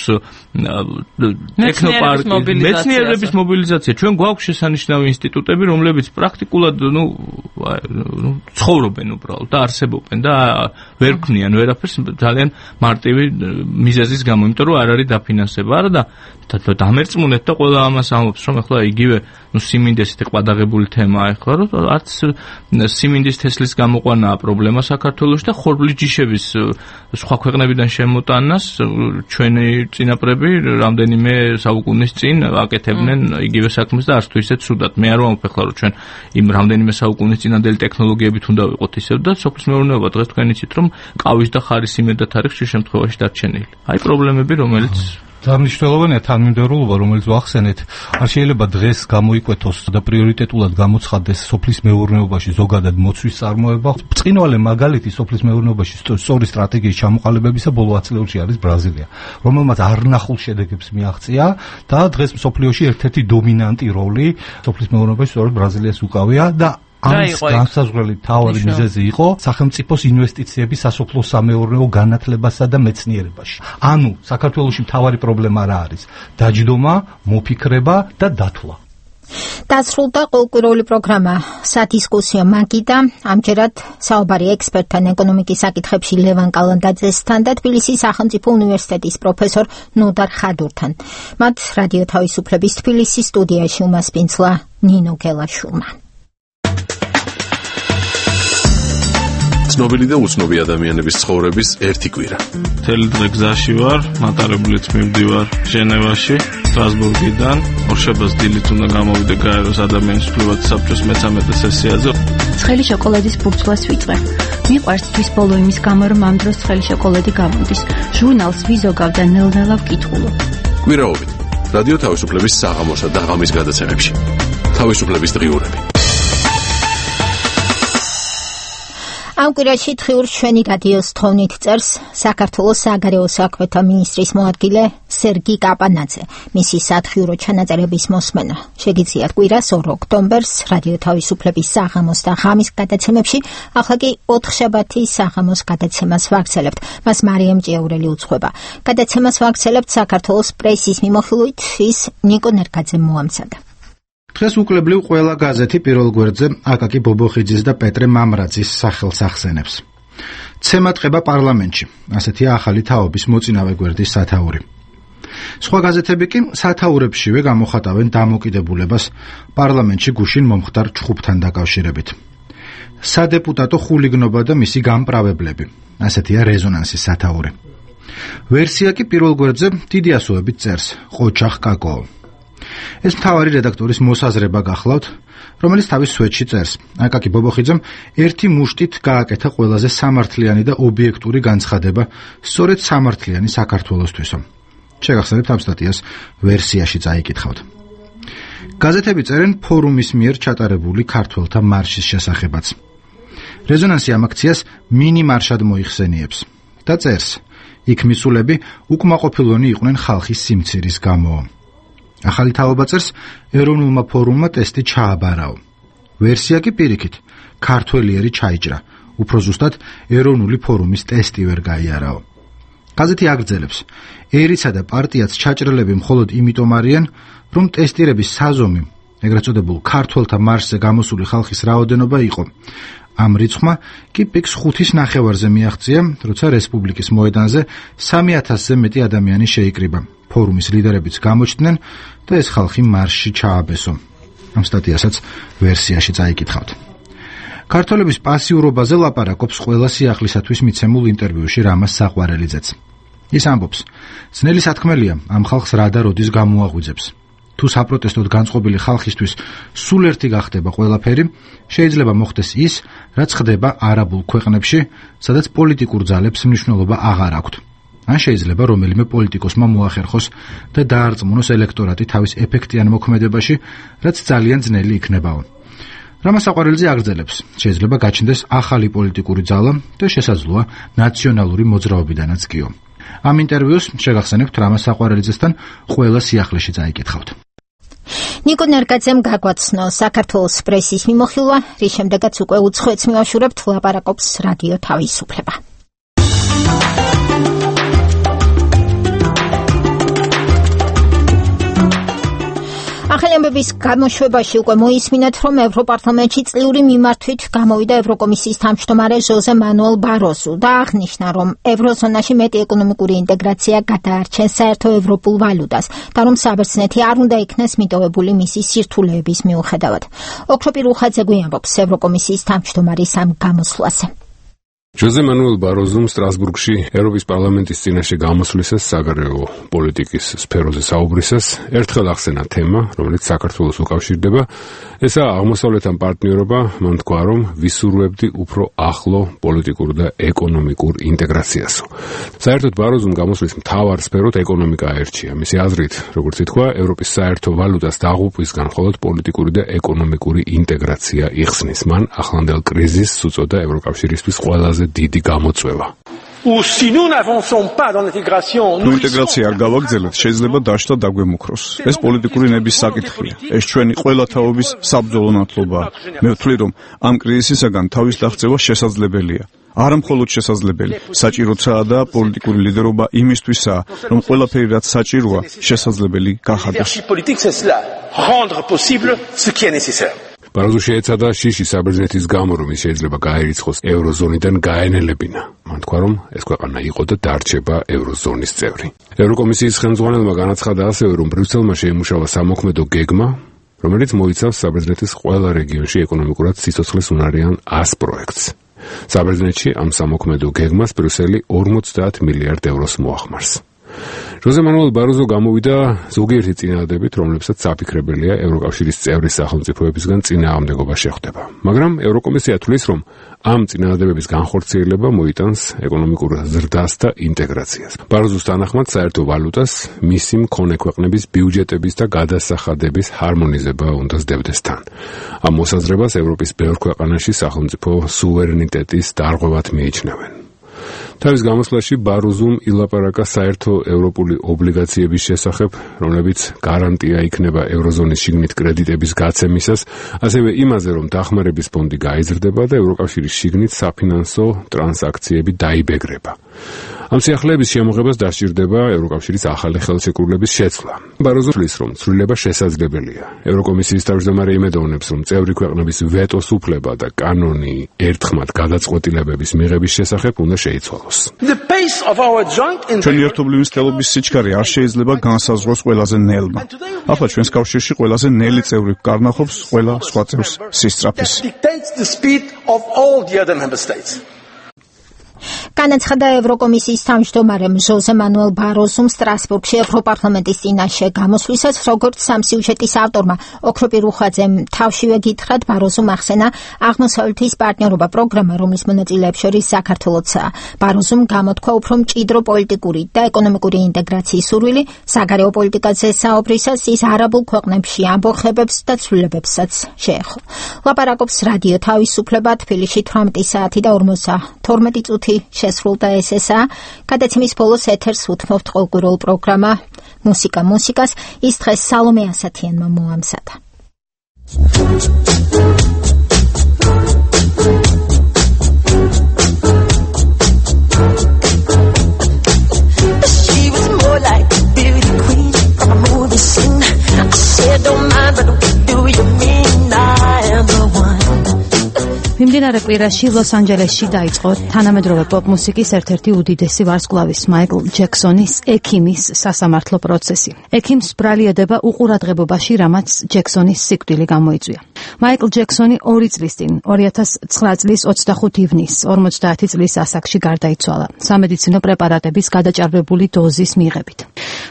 Speaker 9: ტექნოპარკი, მეცნიერების მობილიზაცია. ჩვენ გვაქვს შესანიშნავი ინსტიტუტები, რომლებიც პრაქტიკულად, ნუ, ნუ ცხოვრობენ უბრალოდ და არსებობენ და ვერ ქმნიან ვერაფერს ძალიან მარტივი მიზეზის გამო, იმიტომ რომ არ არის დაფინანსება. არა და დამერწმუნეთ და ყველა ამას ამბობს, რომ ახლა იგივე, ნუ სიმინდეს ისე ყვადაღებული თემაა ახლა, რომ არც სიმინდის თესლის გამოყვანაა პრობლემა საქართველოში და ხორბლის ჯიშების სხვა ქვეყნებიდან შემოტანას ჩვენი წინაპრები რამდენიმე საუკუნის წინ აკეთებდნენ იგივე საქმეს და არც თუ ისეთ ცუდად. მე არ ვამბობ ახლა რომ ჩვენ იმ რამდენიმე საუკუნის წინანდელი ტექნოლოგიებით უნდა ვიყოთ ისევ და სოფლის მეურნეობა დღეს თქვენ იცით რომ ყავის და ხარის იმედად არის ხშირ შემთხვევაში დარჩენილი. აი პრობლემები რომელიც
Speaker 4: დამნიშნულოვანია თანმიმდევრულობა, რომელიც ვახსენეთ, არ შეიძლება დღეს გამოიკვეთოს და პრიორიტეტულად გამოცხადდეს სოფლის მეურნეობაში ზოგადად მოცვის წარმოება. ბრწყინვალე მაგალითი სოფლის მეურნეობაში სწორი სტრატეგიის ჩამოყალიბებისა ბოლო ათი წლებში არის ბრაზილია, რომელმაც არნახულ შედეგებს მიაღწია და დღეს მსოფლიოში ერთ-ერთი დომინანტი როლი სოფლის მეურნეობაში სწორედ ბრაზილიას უკავია და ამის განსაზღვრელი თავი მიზეზი იყო სახელმწიფოს ინვესტიციები სასოფლო-სამეურნეო განათლებასა და მეცნიერებაში. ანუ საქართველოში მთავარი პრობლემა რა არის? დაჯდომა, მოფიქრება და დათვლა.
Speaker 1: დასრულდა ყოველკვირეული პროგრამა სადისკუსიო მაგიდა. ამჯერად საუბარი ექსპერტთან ეკონომიკის საკითხებში ლევან კალანდაძესთან და თბილისის სახელმწიფო უნივერსიტეტის პროფესორ ნოდარ ხადურთან. მათ რადიო თავისუფლების თბილისის სტუდიაში უმასპინძლა ნინო გელაშვილმა.
Speaker 16: ცნობილი და უცნობი ადამიანების ცხოვრების ერთი კვირა.
Speaker 9: მთელი დღე გზაში ვარ, მატარებლით მივდივარ ჟენევაში, სტრასბურგიდან. ორშაბათს დილით უნდა გამოვიდე გაეროს ადამიანის უფლებათა საბჭოს მესამედე სესიაზე.
Speaker 14: ცხელი შოკოლადის ბურცლას ვიწყე. მიყვარს თვის ბოლო იმის გამო, რომ ამ დროს ცხელი შოკოლადი გამოდის. ჟურნალს ვიზოგავ და ნელ-ნელა ვკითხულობ.
Speaker 16: კვირაობით რადიო თავისუფლების საღამოსა და ღამის გადაცემებში. თავისუფლების დღიურები.
Speaker 1: ამ კვირაში დღიურ ჩვენი რადიოს თხოვნით წერს საქართველოს საგარეო საქმეთა მინისტრის მოადგილე სერგი კაპანაძე. მისი სათხიურო ჩანაწერების მოსმენა შეგიძლიათ კვირას ორ ოქტომბერს რადიო თავისუფლების საღამოს და ღამის გადაცემებში, ახლა კი ოთხშაბათის საღამოს გადაცემას ვაგრძელებთ. მას მარიამ ჭიაურელი უძღვება. გადაცემას ვაგრძელებთ საქართველოს პრესის მიმოხილვით, ის ნიკო ნერგაძემ მოამზადა.
Speaker 5: დღეს უკლებლივ ყველა გაზეთი პირველ გვერდზე აკაკი ბობოხიძის და პეტრე მამრაძის სახელს ახსენებს. ცემატყება პარლამენტში, ასეთია ახალი თაობის მოწინავე გვერდის სათაური. სხვა გაზეთები კი სათაურებშივე გამოხატავენ დამოკიდებულებას პარლამენტში გუშინ მომხდარ ჩხუბთან დაკავშირებით. სადეპუტატო ხულიგნობა და მისი გამპრავებლები, ასეთია რეზონანსის სათაური. ვერსია კი პირველ გვერდზე დიდი ასოებით წერს ყოჩახ კაკო. ეს მთავარი რედაქტორის მოსაზრება გახლავთ, რომელიც თავის სვეტში წერს. აკაკი ბობოხიძემ ერთი მუშტით გააკეთა ყველაზე სამართლიანი და ობიექტური განცხადება სწორედ სამართლიანი საქართველოსთვისო. შეგახსენებთ ამ სტატიას ვერსიაში წაიკითხავთ. გაზეთები წერენ ფორუმის მიერ ჩატარებული ქართველთა მარშის შესახებაც. რეზონანსი ამ აქციას მინი მარშად მოიხსენიებს და წერს, იქ მისულები უკმაყოფილონი იყვნენ ხალხის სიმცირის გამო. ახალი თაობა წერს, ეროვნულმა ფორუმმა ტესტი ჩააბარაო. ვერსია კი პირიქით, ქართველიერი ჩაიჭრა, უფრო ზუსტად ეროვნული ფორუმის ტესტი ვერ გაიარაო. გაზეთი აგრძელებს, ერიცა და პარტიაც ჩაჭრელები მხოლოდ იმიტომ არიან, რომ ტესტირების საზომი, ეგრეთ წოდებულ ქართველთა მარშზე გამოსული ხალხის რაოდენობა იყო. ამ რიცხვმა კი პიკს ხუთის ნახევარზე მიაღწია, როცა რესპუბლიკის მოედანზე სამი ათასზე მეტი ადამიანი შეიკრიბა. ფორუმის ლიდერებიც გამოჩნდნენ და ეს ხალხი მარშში ჩააბესო. ამ სტატიასაც ვერსიაში წაიკითხავთ. ქართველების პასიურობაზე ლაპარაკობს ყველა სიახლისათვის მიცემულ ინტერვიუში რამაზ საყვარელიძეც. ის ამბობს, ძნელი სათქმელია ამ ხალხს რა და როდის გამოაღვიძებს. თუ საპროტესტოდ განწყობილი ხალხისთვის სულ ერთი გახდება ყველაფერი, შეიძლება მოხდეს ის, რაც ხდება არაბულ ქვეყნებში, სადაც პოლიტიკურ ძალებს მნიშვნელობა აღარ აქვთ. ან შეიძლება რომელიმე პოლიტიკოსმა მოახერხოს და დაარწმუნოს ელექტორატი თავის ეფექტიან მოქმედებაში, რაც ძალიან ძნელი იქნებაო. რამაზ საყვარელიძე აგრძელებს, შეიძლება გაჩნდეს ახალი პოლიტიკური ძალა და შესაძლოა ნაციონალური მოძრაობიდანაც კიო. ამ ინტერვიუს შეგახსენებთ რამაზ საყვარელიძესთან ყველა სიახლეში წაიკითხავთ.
Speaker 1: ნიკო ნერგაძემ გაგვაცნო საქართველოს პრესის მიმოხილვა, რის შემდეგაც უკვე უცხოეთს მივაშურებთ, ლაპარაკობს რადიო თავისუფლება. ახალი ამბების გამოშვებაში უკვე მოისმინეთ, რომ ევროპარლამენტში წლიური მიმართვით გამოვიდა ევროკომისიის თავმჯდომარე ჟოზე მანუელ ბაროზუ და აღნიშნა, რომ ევროზონაში მეტი ეკონომიკური ინტეგრაცია გადაარჩენს საერთო ევროპულ ვალუტას და რომ საბერძნეთი არ უნდა იქნეს მიტოვებული მისი სირთულეების მიუხედავად. ოქროპირ უხაძე გვიანობს ევროკომისიის თავმჯდომარის ამ გამოსვლაზე.
Speaker 10: ჟოზე მანუელ ბაროზომ სტრასბურგში ევროპის პარლამენტის წინაშე გამოსვლისას საგარეო პოლიტიკის სფეროზე საუბრისას ერთხელ ახსენა თემა, რომელიც საქართველოს უკავშირდება, ესაა აღმოსავლეთთან პარტნიორობა, მან თქვა, რომ ვისურვებდი უფრო ახლო პოლიტიკურ და ეკონომიკურ ინტეგრაციასო. საერთოდ ბაროზომ გამოსვლის მთავარ სფეროდ ეკონომიკა აერჩია. მისი აზრით, როგორც ითქვა, ევროპის საერთო ვალუტას დაღუპვისგან მხოლოდ პოლიტიკური და ეკონომიკური ინტეგრაცია იხსნის. მან ახლანდელ კრიზისს უწოდა ევროკავშირისთვის ყველაზე დიდი გამოწვევა.
Speaker 2: თუ ინტეგრაცია არ გავაგრძელებთ, შეიძლება დაშლა დაგვემუქროს. ეს პოლიტიკური ნების საკითხია. ეს ჩვენი ყველა თაობის საბრძოლო ნათლობაა. მე ვთვლი, რომ ამ კრიზისისაგან თავის დაღწევა შესაძლებელია. არა მხოლოდ შესაძლებელი, საჭიროა და პოლიტიკური ლიდერობა იმისთვისაა, რომ ყველაფერი რაც საჭიროა, შესაძლებელი გახადოს.
Speaker 10: ბაროზო შეეცადა შიში საბერძნეთის გამო, რომ ის შეიძლება გაერიცხოს ევროზონიდან გაენელებინა. მან თქვა, რომ ეს ქვეყანა იყო და დარჩება ევროზონის წევრი. ევროკომისიის ხელმძღვანელმა განაცხადა ასევე, რომ ბრიუსელმა შეიმუშავა სამოქმედო გეგმა, რომელიც მოიცავს საბერძნეთის ყველა რეგიონში ეკონომიკურად სიცოცხლის უნარიან ას პროექტს. საბერძნეთში ამ სამოქმედო გეგმას ბრიუსელი ორმოცდაათ მილიარდ ევროს მოახმარს. ჟოზე მანუელ ბაროზო გამოვიდა ზოგიერთი წინადადებით, რომლებსაც საფიქრებელია ევროკავშირის წევრი სახელმწიფოებისგან წინააღმდეგობა შეხვდება. მაგრამ ევროკომისია თვლის, რომ ამ წინადადებების განხორციელება მოიტანს ეკონომიკურ ზრდას და ინტეგრაციას. ბაროზოს თანახმად საერთო ვალუტას მისი მქონე ქვეყნების ბიუჯეტების და გადასახადების ჰარმონიზება უნდა სდებდეს თან. ამ მოსაზრებას ევროპის ბევრ ქვეყანაში სახელმწიფო სუვერენიტეტის დარღვევად მიიჩნევენ. თავის გამოსვლაში ბაროზომ ილაპარაკა საერთო ევროპული ობლიგაციების შესახებ, რომლებიც გარანტია იქნება ევროზონის შიგნით კრედიტების გაცემისას, ასევე იმაზე, რომ დახმარების ფონდი გაიზრდება და ევროკავშირის შიგნით საფინანსო ტრანზაქციები დაიბეგრება. ამ სიახლეების შემოღებას დასჭირდება ევროკავშირის ახალი ხელშეკრულების შეცვლა. ბაროზო თვლის, რომ ცვლილება შესაძლებელია. ევროკომისიის თავმჯდომარე იმედოვნებს, რომ წევრი ქვეყნების ვეტოს უფლება და კანონი ერთხმად გადაწყვეტილებების მიღების შესახებ უნდა შეიცვალოს.
Speaker 2: ჩვენი ერთობლივი მცდელობის სიჩქარე არ შეიძლება განსაზღვროს ყველაზე ნელმა. ახლა ჩვენს კავშირში ყველაზე ნელი წევრი კარნახობს ყველა სხვა წევრს სისწრაფეს.
Speaker 1: განაცხადა ევროკომისიის თავმჯდომარემ ჟოზე მანუელ ბაროზომ სტრასბურგში ევროპარლამენტის წინაშე გამოსვლისას, როგორც სამსიუჟეტის ავტორმა ოქროპირ უხაძემ თავშივე გითხრათ, ბაროზომ ახსენა აღმოსავლეთის პარტნიორობა პროგრამა, რომლის მონაწილეებს შორის საქართველოცაა. ბაროზომ გამოთქვა უფრო მჭიდრო პოლიტიკური და ეკონომიკური ინტეგრაციის სურვილი, საგარეო პოლიტიკაზე საუბრისას ის არაბულ ქვეყნებში ამბოხებებს და ცვლილებებსაც შეეხო. ლაპარაკობს რადიო თავისუფლება, თბილისში თვრამეტი საათი და ორმოცდათორმეტი წუთი შესრულდა ეს ესაა. გადაცემის ბოლოს ეთერს უთმობთ ყოველკვირეულ პროგრამა მუსიკა მუსიკას. ის დღეს სალომე ასათიანმა მოამზადა. She was more like a beauty queen from a movie scene. I said don't mind, but what do you mean I am the one? მიმდინარე კვირაში ლოს-ანჯელესში დაიწყო თანამედროვე პოპ-მუსიკის ერთ-ერთი უდიდესი ვარსკვლავის მაიკლ ჯექსონის ექიმის სასამართლო პროცესი. ექიმს ბრალიანდება უყურადღებობაში, რამაც ჯექსონის სიკვდილი გამოიწვია. მაიკლ ჯექსონი ორი წლის წინ, ორი ათას ცხრა წლის ოცდახუთი ივნის, ორმოცდაათი წლის ასაკში გარდაიცვალა, სამედიცინო პრეპარატების გადაჭარბებული დოზის მიღებით.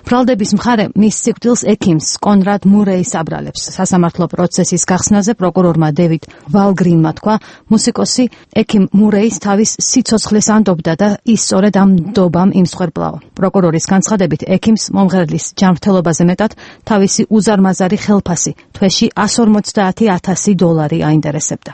Speaker 1: ბრალდების მხარე მის სიკვდილს ექიმს კონრად მურეის აბრალებს. სასამართლო პროცესის გახსნაზე პროკურორმა დევიდ ვალგრინმა თქვა, მუსიკოსი ექიმ მურეის თავის სიცოცხლეს ანდობდა და ის სწორედ ამ ნდობამ იმსხვერპლაო. პროკურორის განცხადებით, ექიმს მომღერლის ჯანმრთელობაზე მეტად თავისი უზარმაზარი ხელფასი თვეში εκατს ორმოცდაათი ათასი დოლარი აინტერესებდა.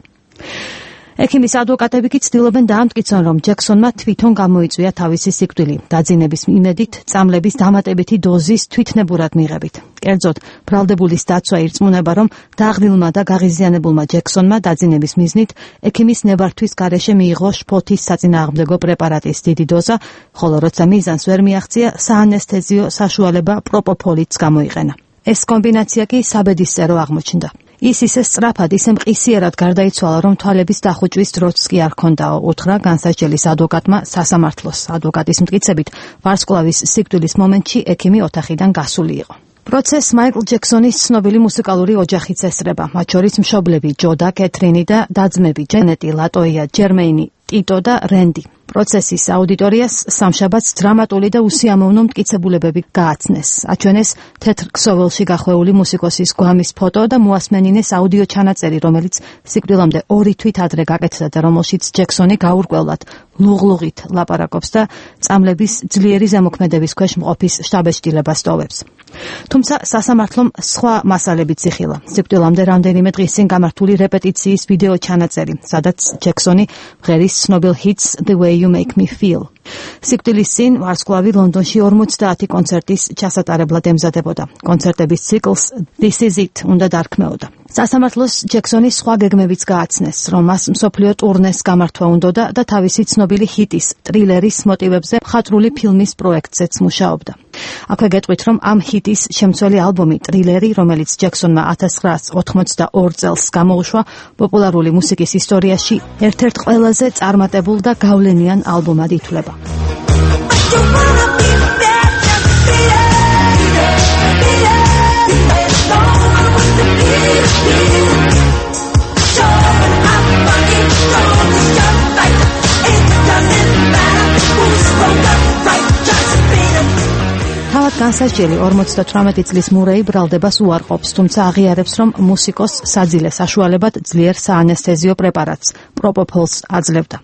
Speaker 1: ექიმის ადვოკატები კი ცდილობენ დაამტკიცონ, რომ ჯექსონმა თვითონ გამოიწვია თავისი სიკვდილი, დაძინების იმედით, წამლების დამატებითი დოზის თვითნებურად მიღებით. კერძოდ, ბრალდებულის დაცვა ირწმუნება, რომ დაღლილმა და გაღიზიანებულმა ჯექსონმა დაძინების მიზნით ექიმის ნებართვის გარეშე მიიღო შფოთის საწინააღმდეგო პრეპარატის დიდი დოზა, ხოლო როცა მიზანს ვერ მიაღწია, საანესთეზიო საშუალება პროპოფოლიც გამოიყენა. ეს კომბინაცია კი საბედისწერო აღმოჩნდა. ის ისე სწრაფად, ისე მყისიერად გარდაიცვალა, რომ თვალების დახუჭვის დროც კი არ ჰქონდაო, უთხრა განსაჯელის ადვოკატმა სასამართლოს. ადვოკატის მტკიცებით, ვარსკვლავის სიკვდილის მომენტში ექიმი ოთახიდან გასული იყო. პროცესს მაიკლ ჯექსონის ცნობილი მუსიკალური ოჯახიც ესწრება, მათ შორის მშობლები ჯო და კეთრინი და და-ძმები ჯენეტი, ლატოია, ჯერმეინი,
Speaker 11: ტიტო და რენდი. პროცესის აუდიტორიას სამშაბათს დრამატული და უსიამოვნო მტკიცებულებები გააცნეს. აჩვენეს თეთრ ქსოვილში გახვეული მუსიკოსის გვამის ფოტო და მოასმენინეს აუდიო ჩანაწერი, რომელიც სიკვდილამდე ორი თვით ადრე გაკეთდა და რომელშიც ჯექსონი გაურკვევლად ლუღლუღით ლაპარაკობს და წამლების ძლიერი ზემოქმედების ქვეშ მყოფის შთაბეჭდილებას ტოვებს. თუმცა სასამართლომ სხვა მასალებიც იხილა. სიკვდილამდე რამდენიმე დღის წინ გამართული რეპეტიციის ვიდეო ჩანაწერი, სადაც ჯექსონი მღერის ცნობილ ჰიტს The Way You Make Me Feel. სიკვდილის წინ ვარსკვლავი ლონდონში ორმოცდაათი კონცერტის ჩასატარებლად ემზადებოდა. კონცერტების ციკლს This Is It უნდა დარქმეოდა. სასამართლოს ჯექსონის სხვა გეგმებიც გააცნეს, რომ მას მსოფლიო ტურნეს გამართვა უნდოდა და თავისი ცნობილი ჰიტის ტრილერის მოტივებზე მხატვრული ფილმის პროექტზეც მუშაობდა. აქვე გეტყვით, რომ ამ ჰიტის შემცველი ალბომი ტრილერი, რომელიც ჯექსონმა ათას ცხრაასი ოცდაოთხ წელს გამოუშვა, პოპულარული მუსიკის ისტორიაში ერთ-ერთ ყველაზე წარმატებულ და გავლენიან ალბომად ითვლება. თავად განსაჯელი ორმოცდათვრამეტი წლის მურეი ბრალდებას უარყოფს, თუმცა აღიარებს, რომ მუსიკოს საძილე საშუალებად ძლიერ საანესთეზიო პრეპარატს პროპოფოლს აძლევდა.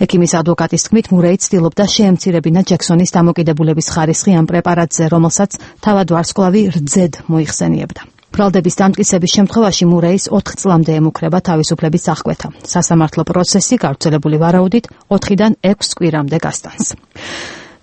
Speaker 11: ექიმის ადვოკატის თქმით, მურეი ცდილობდა შეემცირებინა ჯექსონის დამოკიდებულების ხარისხი ამ პრეპარატზე, რომელსაც თავად ვარსკვლავი რძედ მოიხსენიებდა. ბრალდების დამტკიცების შემთხვევაში მურეის ოთხ წლამდე ემუქრება თავისუფლების აღკვეთა. სასამართლო პროცესი გავრცელებული ვარაუდით ოთხიდან ექვს კვირამდე გასტანს.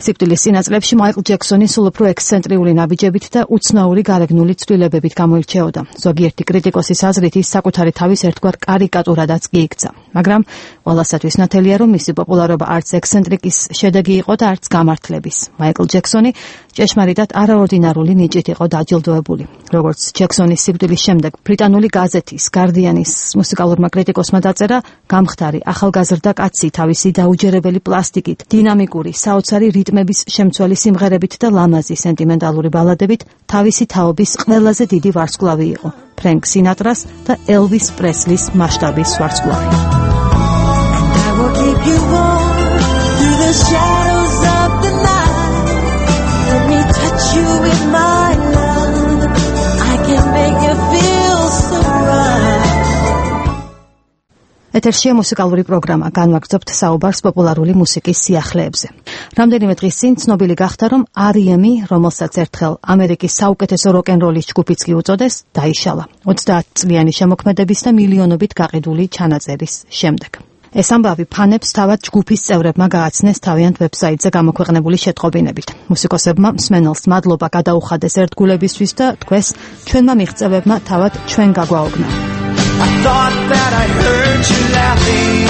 Speaker 11: სიკვდილის წინაწლებში მაიკლ ჯექსონი სულ უფრო ექსცენტრიული ნაბიჯებით და უცნაური გარეგნული ცვლილებებით გამოირჩეოდა. ზოგიერთი კრიტიკოსის აზრით ის საკუთარი თავის ერთგვარ კარიკატურადაც კი იქცა. მაგრამ ყველასათვის ნათელია, რომ მისი პოპულარობა არც ექსცენტრიკის შედეგი იყო და არც გამართლების. მაიკლ ჯექსონი ჭეშმარიტად არაორდინარული ნიჭით იყო დაჯილდოებული. როგორც ჯექსონის სიკვდილის შემდეგ ბრიტანული გაზეთის Guardian-ის მუსიკალურმა კრიტიკოსმა დაწერა, გამხდარი ახალგაზრდა კაცი თავისი დაუჯერებელი პლასტიკით, დინამიკური, საოცარი რიტმების შემცველი სიმღერებით და ლამაზი სენტიმენტალური ბალადებით თავისი თაობის ყველაზე დიდი ვარსკვლავი იყო. ფრენკ სინატრას და ელვის პრესლის მასშტაბის ვარსკვლავი. ეთერშია მუსიკალური პროგრამა, განვაგრძობთ საუბარს პოპულარული მუსიკის სიახლეებზე. რამდენიმე დღის წინ ცნობილი გახდა, რომ არ ი ემი, რომელსაც ერთხელ ამერიკის საუკეთესო როკ-ენ-როლის ჯგუფიც კი უწოდეს, დაიშალა. ოცდაათწლიანი შემოქმედების და მილიონობით გაყიდული ჩანაწერის შემდეგ. ეს ამბავი ფანებს თავად ჯგუფის წევრებმა გააცნეს თავიანთ ვებსაიტზე გამოქვეყნებული შეტყობინებით. მუსიკოსებმა მსმენელს მადლობა გადაუხადეს ერთგულებისთვის და თქვეს, ჩვენმა მიღწევებმა თავად ჩვენ გაგვაოგნა. I thought that I heard you laughing.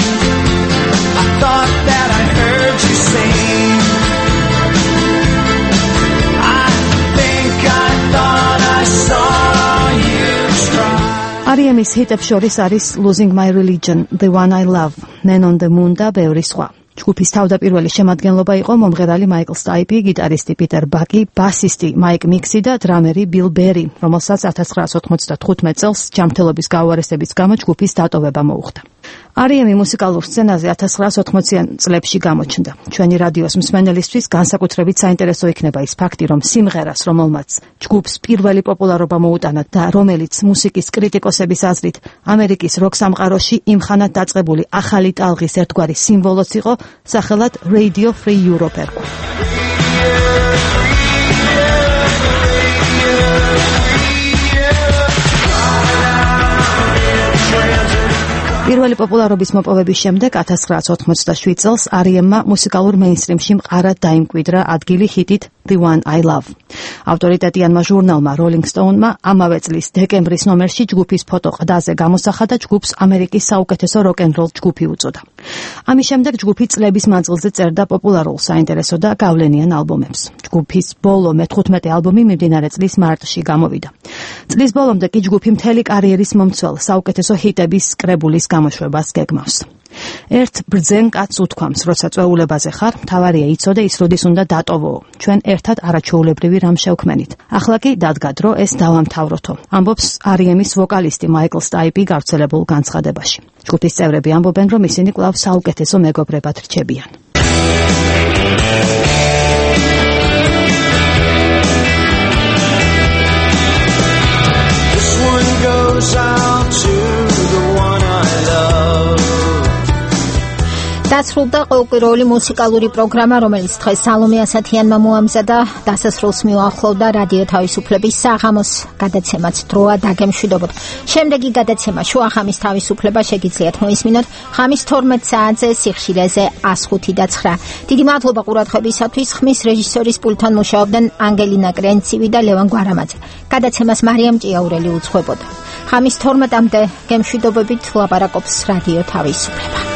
Speaker 11: I thought that I heard you sing. I think I thought I saw you try. არ ი ემის ჰიტებს შორის არის Losing My Religion, The One I Love, Man on the Moon და ბევრი სხვა. ჯგუფის თავდაპირველი შემადგენლობა იყო მომღერალი მაიკლ სტაიპი, გიტარისტი პიტერ ბაკი, ბასისტი მაიკ მიქსი და დრამერი ბილ ბერი, რომელსაც ათას ცხრაასი ოცდათხუთმეტ წელს ჯანმრთელობის გაუარესების გამო ჯგუფის დატოვება მოუხდა. არ ი ემი მუსიკალურ სცენაზე ათას ცხრაასი ოთხმოციან წლებში გამოჩნდა. ჩვენი რადიოს მსმენელისთვის განსაკუთრებით საინტერესო იქნება ის ფაქტი, რომ სიმღერას, რომელმაც ჯგუფს პირველი პოპულარობა მოუტანა და რომელიც მუსიკის კრიტიკოსების აზრით ამერიკის როკ სამყაროში იმხანად დაწყებული ახალი ტალღის ერთგვარი სიმბოლოც იყო, სახელად Radio Free Europe ერქვა. პირველი პოპულარობის მოპოვების შემდეგ ათას ცხრაასი ოცდაშვიდ წელს არ ი ემმა მუსიკალურ მეინსტრიმში მყარად დაიმკვიდრა ადგილი ჰიტით The One I Love. ავტორიტეტიანმა ჟურნალმა Rolling Stone-მა ამავე წლის დეკემბრის ნომერში ჯგუფის ფოტო ყდაზე გამოსახა და ჯგუფს ამერიკის საუკეთესო როკ-ენ-როლ ჯგუფი უწოდა. ამის შემდეგ ჯგუფი წლების მანძილზე წერდა პოპულარულ, საინტერესო და გავლენიან ალბომებს. ჯგუფის ბოლო მეთხუთმეტე ალბომი მიმდინარე წლის მარტში გამოვიდა. წლის ბოლომდე კი ჯგუფი მთელი კარიერის მომცველ საუკეთესო ჰიტების კრებულის გამოშვებას გეგმავს. ერთ ბრძენ კაცს უთქვამს, როცა წვეულებაზე ხარ, მთავარია იცოდე ის როდის უნდა დატოვოო. ჩვენ ერთად არაჩვეულებრივი რამ შევქმენით. ახლა კი დადგა დრო ეს დავამთავროთო. ამბობს არ ი ემის ვოკალისტი მაიკლ სტაიპი გავრცელებულ განცხადებაში. ჯგუფის წევრები ამბობენ, რომ ისინი კვლავ საუკეთესო მეგობრებად რჩებიან.
Speaker 1: დასრულდა ყოველკვირეული მუსიკალური პროგრამა, რომელიც დღეს სალომე ასათიანმა მოამზადა. დასასრულს მიუახლოვდა რადიო თავისუფლების საღამოს გადაცემაც დროა დაგემშვიდობოთ. შემდეგი გადაცემა შუახამის თავისუფლება შეგიძლიათ მოისმინოთ ხამის თორმეტ საათზე სიხშირეზე ას ხუთი და ცხრა. დიდი მადლობა ყურადღებისათვის. ხმის რეჟისორის პულტთან მუშაობდნენ ანგელინა კრენცივი და ლევან გვარამაძე. გადაცემას მარიამ ჭიაურელი უძღვებოდა. ხამის თორმეტამდე გემშვიდობებით ლაპარაკობს რადიო თავისუფლება.